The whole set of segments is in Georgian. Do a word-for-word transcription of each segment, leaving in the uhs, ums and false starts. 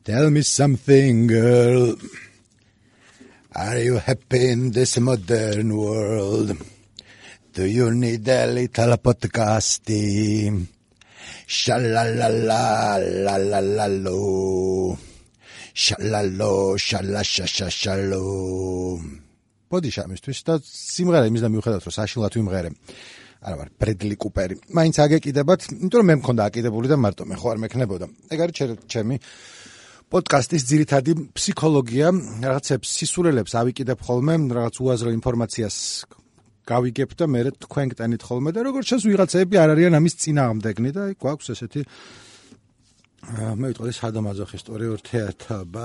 Tell me something, girl. Are you happy in this modern world? Do you need a little podcasting? Sha-la-la-la, la-la-la-lo. Sha-la-lo, sha-la-sha-sha-sha-lo. Body shamistvis და სიმღერა იმის და მიუხედავად რომ საშინლად ვიმღერე. არა ვარ ბრედლი კუპერი. მაინც აგეკიდებათ, იმიტომ რომ მე მქონდა აკიდებული და მარტო მე ხო არ მექნებოდა. ეგ არის ჩემი პოდკასტის ძირითადი ფსიქოლოგია, რაღაცებს სისულელებს ავიკიდებ ხოლმე, რაღაც უაზრო ინფორმაციას გავიგებ და მე თქვენ გტანით ხოლმე და როგორც ჩანს ვიღაცები არ არიან ამის წინააღმდეგნი და გვაქვს ესეთი მე ვიტყოდი სადამაზოხისტური ურთიერთობა.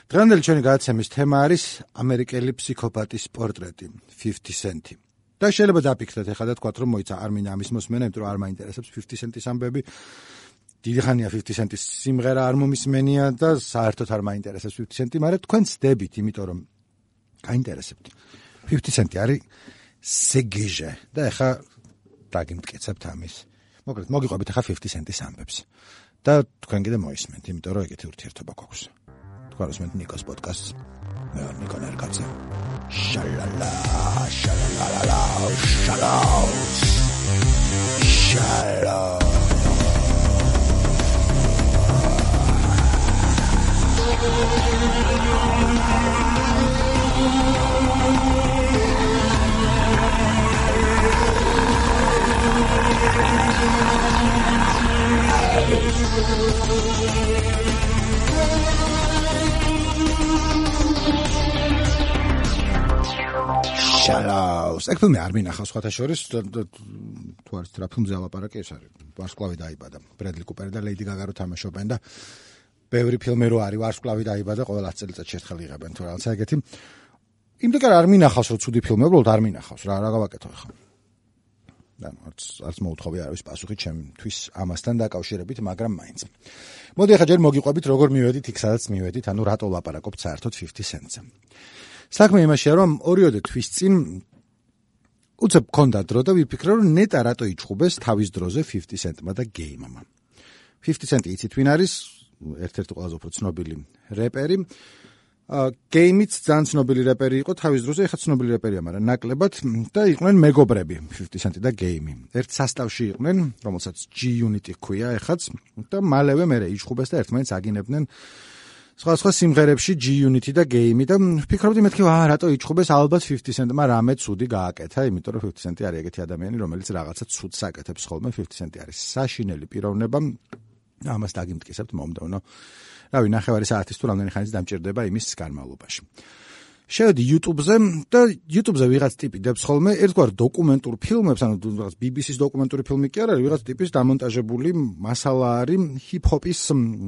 დღევანდელი ჩვენი გადაცემის თემა არის ამერიკელი ფსიქოპატის პორტრეტი, fifty cent. და შეიძლება დაფიქრდეთ ახლა და თქვათ რომ მოიცა არ მინდა ამის მოსმენა, იმიტომ რომ არ მაინტერესებს fifty cent-ის ამბები. დიდი ხანია fifty cent-ის სიმღერა არ მომისმენია და საერთოდ არ მაინტერესებს fifty cent, მაგრამ თქვენ ცდებით, იმიტომ რომ გაინტერესებთ. fifty cent არის სეგეჟე და ახლა დაგიმტკიცებთ ამის. მოკლედ მოგიყვებით ახლა fifty cent-ის ამბებს. და თქვენ კიდე მოისმენთ, იმიტომ რომ ეგეთი ურთიერთობა გვაქვს. თქვენ უსმენთ ნიკოს პოდკასტს. მე ვარ ნიკო ნერგაძე. შალალა, შალალა, შალალა. შალალა. შალაუს. ეგ ფილმი არ მინახავს სხვათა შორის, თუ არის რა ფილმზე ალაპარაკი, ეს არის ვარსკვლავი დაიბადა. ბრედლი კუპერი და ლეიდი გაგა რო თამაშობენ და ბევრი ფილმი რო არის ვარსკვლავი დაიბადა, ყველა ათი წელიწადში ერთხელ იღებენ თუ რაღაცა ეგეთი. იმდენ არ მინახავს რომ ცუდი ფილმი, უბრალოდ არ მინახავს რა, რა გავაკეთო ახლა. და არც არც მოუთხოვი არავის პასუხი ჩემთვის ამასთან დაკავშირებით, მაგრამ მაინც. მოდი ახლა ჯერ მოგიყვებით როგორ მივედით იქ სადაც მივედით, ანუ რატო ლაპარაკობთ საერთოდ fifty cent-ზე. საქმე იმაშია რომ ორიოდე თვის წინ უცებ მქონდა დრო და ვიფიქრე რომ ნეტა რატო იჩხუბეს თავის დროზე fifty cent-მა და გეიმმა. fifty cent იცით ვინ არის? ერთ-ერთი ყველაზე უფრო ცნობილი რეპერი. გეიმიც ძალიან ცნობილი რეპერი იყო თავის დროზე, ეხლა ცნობილი რეპერია, მაგრამ ნაკლებად და იყვნენ მეგობრები fifty cent და გეიმი. ერთ სასტავში იყვნენ, რომელსაც G-Unit ჰქვია ეხაც და მალევე მერე იჩხუბეს და ერთმანეთს აგინებდნენ სხვა-სხვა სიმღერებში G-Unit და გეიმი და ვფიქრობდი მეთქი, აა რატო იჩხუბეს, ალბათ fifty cent-მა რამე ცუდი გააკეთა, იმიტომ რომ fifty cent არის ეგეთი ადამიანი, რომელიც რაღაცა ცუდს აკეთებს ხოლმე. fifty cent არის საშინელი პიროვნება. ამას დაგიმტკიცებთ მომდევნო. რავი, ნახევარი საათის თუ რამდენი ხანის დამჭირდება იმის განმავლობაში. შევედი YouTube-ზე და YouTube-ზე ვიღაც ტიპი დებს ხოლმე ერთგვარ დოკუმენტურ ფილმებს, ანუ რაღაც B B C-ის დოკუმენტური ფილმი კი არ არის, ვიღაც ტიპის დამონტაჟებული მასალა არის ჰიპ-ჰოპის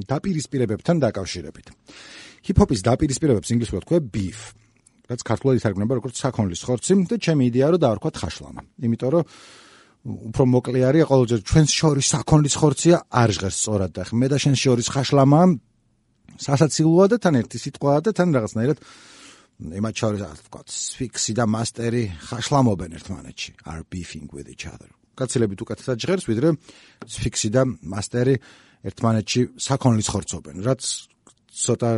დაპირისპირებებთან დაკავშირებით. ჰიპ-ჰოპის დაპირისპირებებს ინგლისურად ქვია beef, რაც ქართულად ითარგმნება როგორც საქონლის ხორცი და ჩემი იდეა რომ დავარქვათ ხაშლამა. იმიტომ რომ უფრო მოკლე არის, ყოველჯერ ჩვენს შორის საქონლის ხორცია არ ჟღერს სწორად და მე და შენ შორის ხაშლამა სასაცილოა და თან ერთი სიტყვაა და თან რაღაცნაირად იმათ შორის ასე ვთქვათ, სფიქსი და მასტერი ხაშლამობენ ერთმანეთში, are beefing with each other. გაცილებით უკეთესად ჟღერს, ვიდრე სფიქსი და მასტერი ერთმანეთში საქონლის ხორცობენ, რაც ცოტა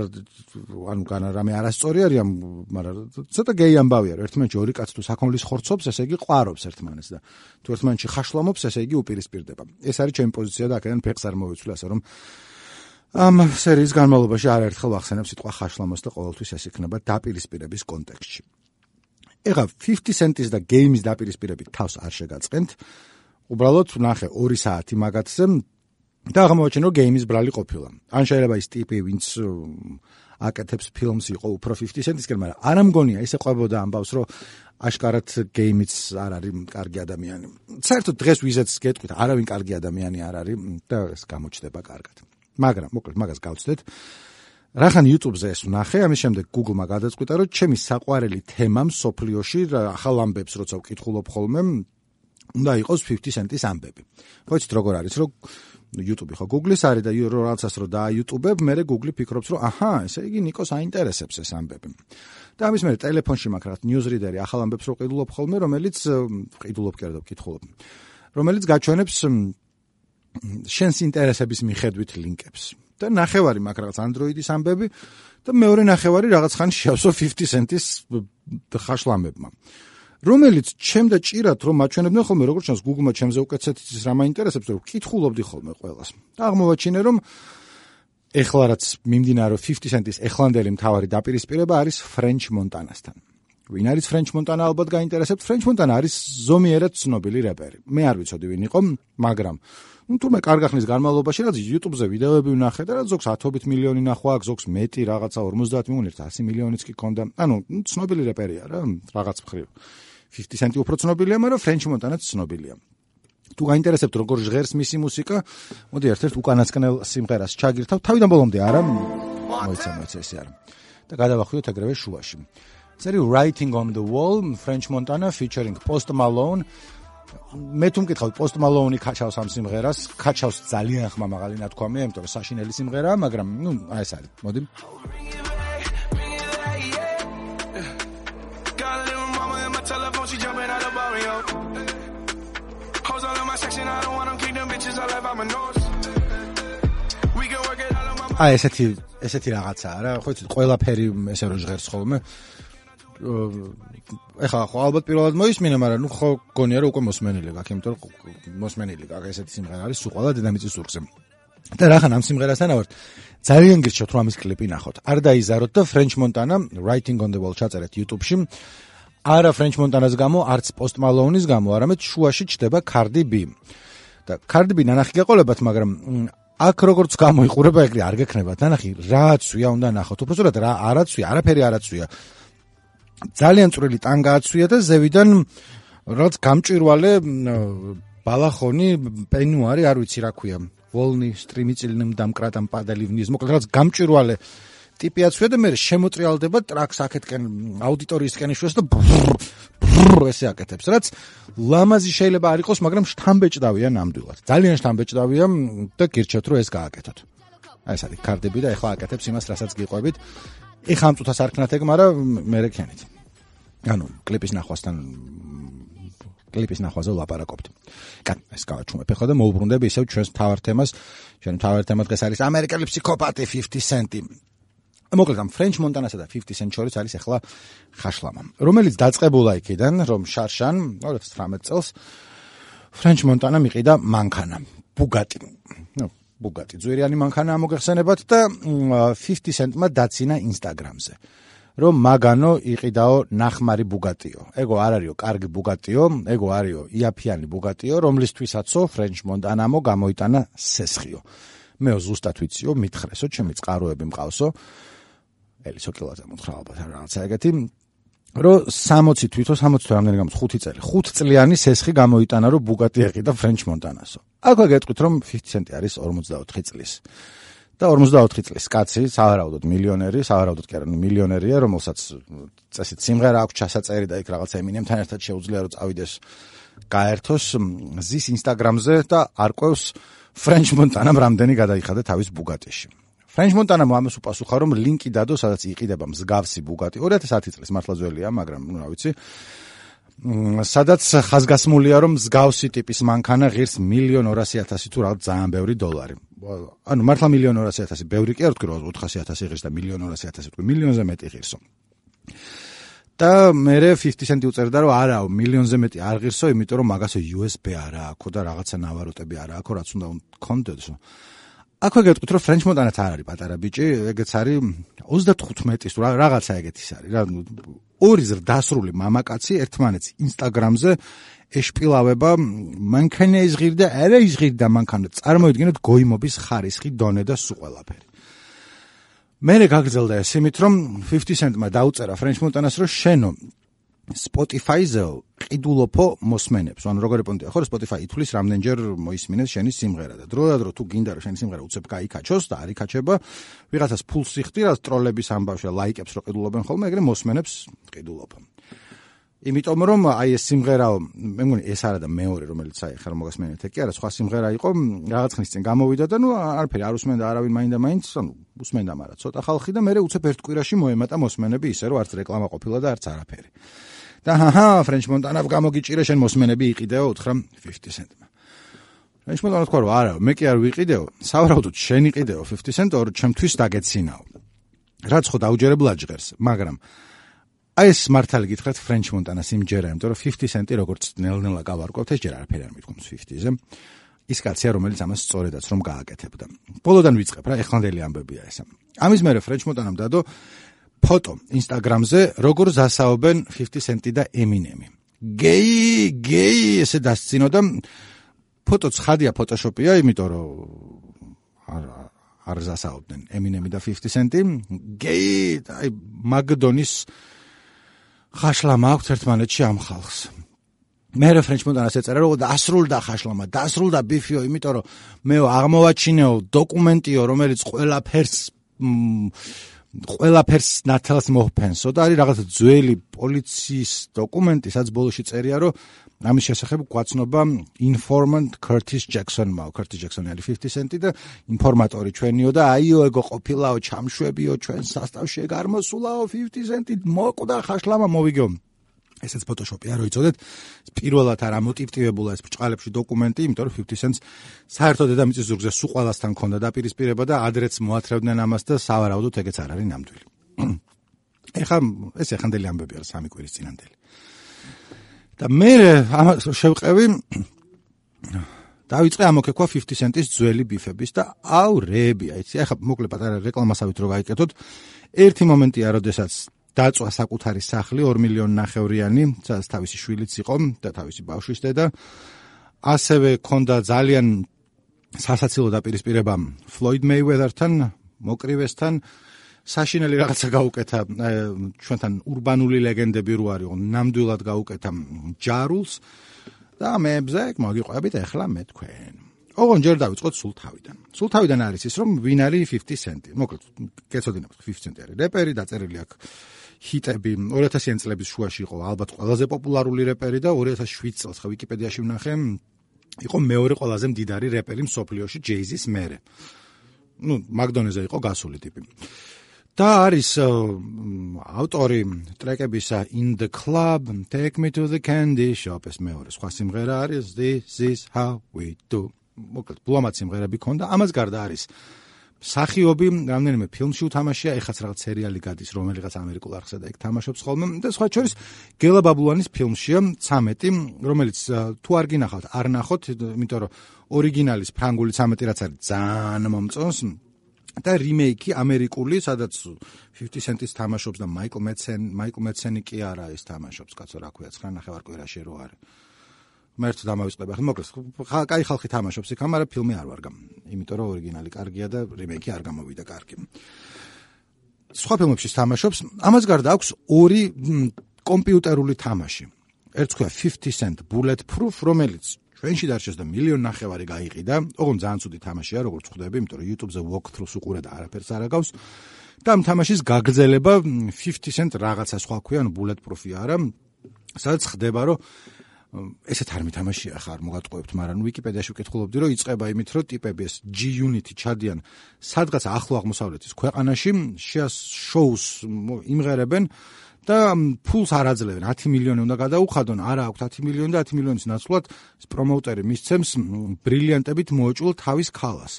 ანუ განა რამე არასწორი არის, მაგრამ ცოტა გეი ამბავი არის. ერთმანეთში ორი კაცი თუ საქონლის ხორცობს, ესე იგი ყვარობს ერთმანეთს და თუ ერთმანეთში ხაშლამობს, ესე იგი უპირისპირდება. ეს არის ჩემი პოზიცია და აქედან ფეხს არ მოვიცვლი, ასე რომ ამ სერიის განმავლობაში არაერთხელ ვახსენებ სიტყვა ხაშლამოს და ყოველთვის ეს იქნება დაპირისპირების კონტექსტში. ეხლა fifty cent-ის და გეიმის დაპირისპირებით თავს არ შეგაწყენთ. უბრალოდ ნახე ორი საათი მაგათზე და აღმოაჩინე რომ გეიმის ბრალი ყოფილა. ან შეიძლება ის ტიპი, ვინც აკეთებს ფილმს იყო უფრო fifty cent-ისკენ, მაგრამ არ ამგონია ესე ყვებოდა ამბავს, რომ აშკარად გეიმიც არ არის კარგი ადამიანი. საერთოდ დღეს ვიზეც გეტყვით, არავინ კარგი ადამიანი არ არის და ეს გამოჩნდება კარგად. მაგრამ მოკლედ მაგას გავცდეთ. რახან YouTube-ზე ეს ვნახე, ამის შემდეგ Google-მა გადაწყვიტა, რომ ჩემი საყვარელი თემა მსოფლიოში ახალ ამბებს როცა ვკითხულობ ხოლმე, უნდა იყოს fifty cent-ის ამბები. ხოიცით როგორ არის, რომ YouTube ხო Google-ის არის და რაღაცას რო და YouTube-ებ, მე Google ფიქრობს, რომ აჰა, ესე იგი ნიკოს აინტერესებს ეს ამბები. და ამის მერე ტელეფონში მაქვს რაღაც newsreader-ი ახალ ამბებს რო ყიდულობ ხოლმე, რომელიც ყიდულობ კი არა და ვკითხულობ. რომელიც გაჩვენებს შენს ინტერესების მიხედვით ლინკებს. და ნახევარი მაქვს რაღაც Android-ის ამბები და მეორე ნახევარი რაღაც ხანი შეავსო fifty cent-ის ხაშლამებმა. რომელიც ჩემ და ჭირად რომ მაჩვენებდნენ ხოლმე როგორც ჩანს Google-მა ჩემზე უკეთესად იცის რა მაინტერესებს რომ ვკითხულობდი ხოლმე ყველას. და აღმოვაჩინე რომ ეხლა რაც მიმდინარო fifty cent-ის ეხლანდელი მთავარი დაპირისპირება არის French Montana-სთან. ვინ არის French Montana ალბათ გაინტერესებთ. French Montana არის ზომიერად ცნობილი რეპერი. მე არ ვიცოდი ვინ იყო, მაგრამ ну თუმე კარგ ხნის განმავლობაში რაც YouTube-ზე ვიდეოები ვნახე და რაც ზოგს ათობით მილიონი ნახვა აქვს, ზოგს მეტი რაღაცა ორმოცდაათ მილიონი, one hundred მილიონიც კი ქონდა. ანუ ცნობილი რეპერია რა, რაღაც მხრივ. fifty cent უფრო ცნობილია, მაგრამ French Montana-ც ცნობილია. თუ გაინტერესებთ როგორ ჟღერს მისი მუსიკა, მოდი ერთ-ერთ უკანასკნელ სიმღერას ჩაგირთავ. თავიდან ბოლომდე არა, მოიცა მოიცა ესე არა. და გადავახვიოთ ეგრევე შუაში. It's Writing on the Wall, French Montana featuring Post Malone. მე თუ მკითხავთ Post Malone-ი ქაჩავს ამ სიმღერას, ქაჩავს ძალიან ხმამაღალი ნათქვამია, იმიტომ რომ საშინელი სიმღერაა, მაგრამ ნუ აი ეს არის. მოდი. აი ესეთი ესეთი რაღაცაა რა, ხო იცით, ყველაფერი ესე რო ჟღერს ხოლმე. ეხლა ხო ალბათ პირველად მოისმინე, მაგრამ ნუ ხო გონია რომ უკვე მოსმენილი გაქვს, იმიტომ რომ მოსმენილი გაქვს ესეთი სიმღერა არის სულ ყველა დედამიწის ზურგზე. და რახან ამ სიმღერასთან ავართ, ძალიან გირჩევთ რომ ამის კლიპი ნახოთ. არ დაიზაროთ და French Montana Writing on the Wall ჩაწერეთ YouTube-ში. არა French Montana-ს გამო, არც Post Malone-ის გამო, არამედ შუაში ჩდება Cardi B. და Cardi B ნანახი გეყოლებათ, მაგრამ აქ როგორც გამოიყურება ეგრე არ გექნებათ. ნანახი რააცვია უნდა ნახოთ. უბრალოდ რა არაცვია, არაფერი არაცვია. ძალიან წვრილი ტანგა აცვია და ზევიდან რაც გამჭვირვალე ბალახონი პენუარი, არ ვიცი რა ქვია, ვოლნი სტრიმიცილნიმ დამკრატამ პადალი ვნის, მოკლედ რაც გამჭვირვალე ტიპი აცვია და მე შემოტრიალდება ტრაქს აქეთკენ აუდიტორიისკენ იშვეს და ესე აკეთებს, რაც ლამაზი შეიძლება არ იყოს, მაგრამ შთამბეჭდავია ნამდვილად. ძალიან შთამბეჭდავია და გირჩევთ რომ ეს გააკეთოთ. აი ეს არის Cardi B და ეხლა აკეთებს იმას, რასაც გიყვებით. ეხლა ამ წუთას არ ქნათ ეგ, მაგრამ მე რეკენით. ანუ კლიპის ნახვასთან კლიპის ნახვაზე ვლაპარაკობთ. კან, ეს გავაჩუმებ ეხლა და მოუბრუნდები ისევ ჩვენს მთავარ თემას. ჩვენ მთავარ თემა დღეს არის ამერიკელი ფსიქოპატი fifty cent. მოკლედ ამ French Montana-სა და fifty cent შორის არის ეხლა ხაშლამა, რომელიც დაწყებულა იქიდან, რომ შარშან two thousand nineteen წელს French Montana მიყიდა მანქანა, Bugatti. ნუ Bugatti ძვირიანი მანქანა მოგეხსენებათ და fifty cent-მა დაცინა Instagram-ზე. რომ მაგანო იყიდაო ნახმარი Bugatti-ო. ეგო არ არისო კარგი Bugatti-ო, ეგო არისო იაფიანი Bugatti-ო, რომლისთვისაც French Montana-მო გამოიტანა სესხიო. მეო ზუსტად ვიციო, მითხრესო, ჩემი წყაროები მყავსო. ელისო კილოზე მოთხრა ალბათ რაღაცა ეგეთი. რომ sixty თვითონ sixty თუ რამდენი გამოც ხუთი წელი, ხუთ წლიანი სესხი გამოიტანა რომ Bugatti ეყიდა French Montana-სო. აქვე გეტყვით რომ fifty cent არის forty-four წლის. და forty-four წლის კაცი, სავარაუდოდ მილიონერი, სავარაუდოდ კი არა, მილიონერია, რომელსაც წესით სიმღერა აქვს ჩასაწერი და იქ რაღაცა Eminem-თან ერთად შეუძლია რომ წავიდეს გაერთოს ზის Instagram-ზე და არკვევს French Montana-მ რამდენი გადაიხადა თავის Bugatti-ში. French Montana-მ ამას უპასუხა რომ ლინკი დადო, სადაც იყიდება მსგავსი Bugatti. two thousand ten წლის მართლა ძველია, მაგრამ ნუ რა ვიცი. სადაც ხაზგასმულია რომ მსგავსი ტიპის მანქანა ღირს one million two hundred thousand თუ რაღაც ძალიან ბევრი დოლარი. ანუ მართლა one million two hundred thousand ბევრი კი არ ვთქვი რომ four hundred thousand ღირს და one million two hundred thousand ვთქვი, მილიონზე მეტი ღირსო. და მე fifty cent უწერდა რომ არაო, მილიონზე მეტი არ ღირსო, იმიტომ რომ მაგასო U S B არა აქვს და რაღაცა ნავაროტები არა აქვს, რაც უნდა კონდეთსო. აქვე გეტყვით რომ French Montana-ც არ არის პატარა ბიჭი, ეგეც არის thirty-five წლის რაღაცა ეგეთის არის რა. ორი ზრდასრული მამაკაცი ერთმანეთს Instagram-ზე ეშპილავება, მანქანა იზღირდა, არა იზღირდა მანქანა, წარმოიდგინეთ გოიმობის ხარისხი, დონე და სულ ყველაფერი. მერე გაგრძელდა ეს იმით, რომ fifty cent-მა დაუწერა French Montana-ს, რომ შენო Spotify-ზე ყიდულობო მოსმენებს. ანუ როგორი პონტია, ხო, Spotify ითulis რამდენჯერ მოისმინეს შენი სიმღერა და დრო და დრო თუ გინდა რომ შენი სიმღერა უცებ გაიკაჩოს და არ იქაჩება, ვიღაცას ფულს იხდი, რაც ტროლების ამბავში ლაიკებს რო ყიდულობენ ხოლმე, ეგრე მოსმენებს ყიდულობ. იმიტომ რომ აი ეს სიმღერაო, მე მგონი ეს არა და მეორე, რომელიც აი ხარ მოგასმენეთ, კი არა, სხვა სიმღერა იყო, რაღაც ხნის წინ გამოვიდა და ნუ არაფერი არ უსმენდა არავინ მაინდა მაინც, ანუ უსმენდა, მაგრამ ცოტა ხალხი და მე უცებ ერთ კვირაში მოემატა მოსმენები ისე რომ არც რეკლამა ყოფილა და არც არაფერი. და ჰაჰა French Montana-ს გამოგიჭირე შენ მოსმენები იყიდეო უთხრა fifty cent-მა. ფრენჩმენტონა თქვა რომ არა, მე კი არ ვიყიდეო, სავარაუდოდ შენ იყიდეო fifty cent ორ ჩემთვის დაგეცინაო. რაც ხო დაუჯერებლად ჟღერს, მაგრამ აი ეს მართალი გითხრათ ფრენჩმონტანას იმჯერა, იმიტომ რომ fifty cent-ი როგორც ნელ-ნელა გავარკვევთ, ეს ჯერ არაფერი არ მithkoms fifty-ზე. ის კაცია, რომელიც ამას სწორედაც რომ გააკეთებდა. ბოლოდან ვიწყებ რა, ეხლანდელი ამბებია ესა. ამის მერე ფრენჩმონტანამ დადო ფოტო Instagram-ზე, როგორ ზასაობენ fifty cent-ი და Eminem-ი. გეი, გეი ესე დასწინო და ფოტო ცხადია ფოტოშოპია, იმიტომ რომ არ არ ზასაობდნენ Eminem-ი და fifty cent-ი. გეი, აი მაგდონის ხაშლა მაქვს ერთმანეთში ამ ხალხს. მე ფრენჩმონტანას ეწერა რომ დასრულდა ხაშლამა, დასრულდა ბიფიო, იმიტომ რომ მე აღმოვაჩინეო დოკუმენტიო, რომელიც ყველაფერს ყველაფერს ნათელს მოჰფენსო და არის რაღაც ძველი პოლიციის დოკუმენტი, სადაც ბოლოში წერია, რომ ამის შესახებ გვაცნობა informant Curtis Jackson-მა, Curtis Jackson-ი არის fifty cent-ი და ინფორმატორი ჩვენიო და აიო ეგო ყოფილაო ჩამშვებიო ჩვენ სასტავში ეგ არ მოსულაო fifty cent-ი მოკვდა ხაშლამა მოვიგეო. ესეც ფოტოშოპია რო იცოდეთ, პირველად არ ამოტივტივებულა ეს ბრჭყალებში დოკუმენტი, იმიტომ რომ fifty cents საერთოდ დედამიწის ზურგზე სულ ყველასთან ქონდა დაპირისპირება და ადრეც მოათრევდნენ ამას და სავარაუდოდ ეგეც არ არის ნამდვილი. ეხლა ეს ეხანდელი ამბები არის სამი კვირის წინანდელი. და მე ამას შევყევი დავიწყე ამოქეკვა fifty cent-ის ძველი ბიფების და აუ რეები, აიცი, ეხლა მოკლე პატარა რეკლამასავით რო გაიკეთოთ, ერთი მომენტია, როდესაც დაწვა საკუთარი სახლი ორ მილიონი ნახევრიანი, სადაც თავისი შვილიც იყო და თავისი ბავშვის დედა. ასევე ქონდა ძალიან სასაცილო დაპირისპირება Floyd Mayweather-თან, მოკრივესთან. საშინელი რაღაცა გაუკეთა ჩვენთან ურბანული ლეგენდები რო არისო, ნამდვილად გაუკეთა ჯარულს და მეებზე მოგიყვებით ახლა მე თქვენ. ოღონ ჯერ დავიწყოთ სულ თავიდან. სულ თავიდან არის ის, რომ ვინ არის fifty cent-ი. მოკლედ, გეცოდინებთ, fifty cent-ი არის რეპერი, დაწერილი აქვს ჰიტები, ორი ათასიანი წლების შუაში იყო ალბათ ყველაზე პოპულარული რეპერი და ორი ათას შვიდ წელს ხო ვიკიპედიაში ვნახე, იყო მეორე ყველაზე მდიდარი რეპერი მსოფლიოში Jay-Z-ის მერე. ნუ, მაგდონეზე იყო გასული ტიპი. და არის ავტორი ტრეკებისა In the Club, Take Me to the Candy Shop, ეს მეორე სხვა სიმღერა არის This is how we do. მოკლედ, ბლომად სიმღერები ქონდა, ამას გარდა არის სახიობი, რამდენიმე ფილმში უთამაშია, ეხაც რაღაც სერიალი გადის, რომელიღაც ამერიკულ არხსა და ეგ თამაშობს ხოლმე და სხვა შორის გელა ბაბულანის ფილმშია ცამეტი, რომელიც თუ არ გინახავთ, არ ნახოთ, იმიტომ რომ ორიგინალის ფრანგული ცამეტი რაც არის ძალიან მომწონს და რიმეიკი ამერიკული, სადაც fifty cent-ის თამაშობს და მაიკლ მეცენ, მაიკლ მეცენი კი არა ის თამაშობს, კაცო, რა ქვია, ცხრა ნახევარ კვირაში რო არის. მე ერთ დამავიწყდება, ხო, მოკლედ, კაი ხალხი თამაშობს იქ, მაგრამ ფილმი არ ვარგა, იმიტომ რომ ორიგინალი კარგია და რიმეიკი არ გამოვიდა კარგი. სხვა ფილმებში თამაშობს, ამას გარდა აქვს ორი კომპიუტერული თამაში. ერთს ქვია fifty cent Bulletproof, რომელიც ჩვენში დარჩეს და მილიონი ნახევარი გაიყიდა, ოღონდ ძალიან ცუდი თამაშია, როგორც ხვდები, იმიტომ რომ YouTube-ზე walkthrough-ს უყურე და არაფერს არ აგავს. და ამ თამაშის გაგრძელება fifty cent რაღაცა სხვა ქვია, ანუ Bulletproof-ი არა, სადაც ხდება, რომ ესეთ არ მითამაშია ხარ მოგატყუებთ, მაგრამ ვიკიპედიაში ვკითხულობდი, რომ იწყება იმით, რომ ტიპები ეს G-Unit-ი ჩადიან სადღაც ახლო აღმოსავლეთის ქვეყანაში, შოუს იმღერებენ და ფულს არ აძლევენ, ათი მილიონი უნდა გადაუხადონ, არა აქვთ ათი მილიონი და ათი მილიონის ნაცვლად პრომოუტერი მისცემს ბრილიანტებით მოეჭულ თავის ქალას,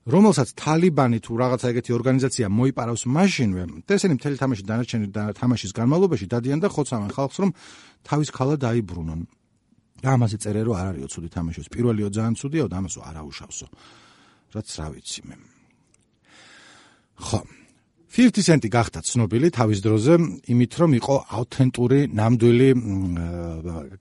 რომელსაც თალიბანი თუ რაღაცა ეგეთი ორგანიზაცია მოიპარავს მაშინვე, და ესენი მთელი თამაში დანარჩენი თამაშის განმავლობაში დადიან და ხოცავენ ხალხს, რომ თავის ქალა დაიბრუნონ. და ამაზე წერე რომ არ არისო ცუდი თამაშოს, პირველიო ძალიან ცუდიო და ამასო არ აუშავსო. რაც რა ვიცი მე. ხო. fifty cent-ი გახდა ცნობილი თავის დროზე, იმით რომ იყო ავთენტური, ნამდვილი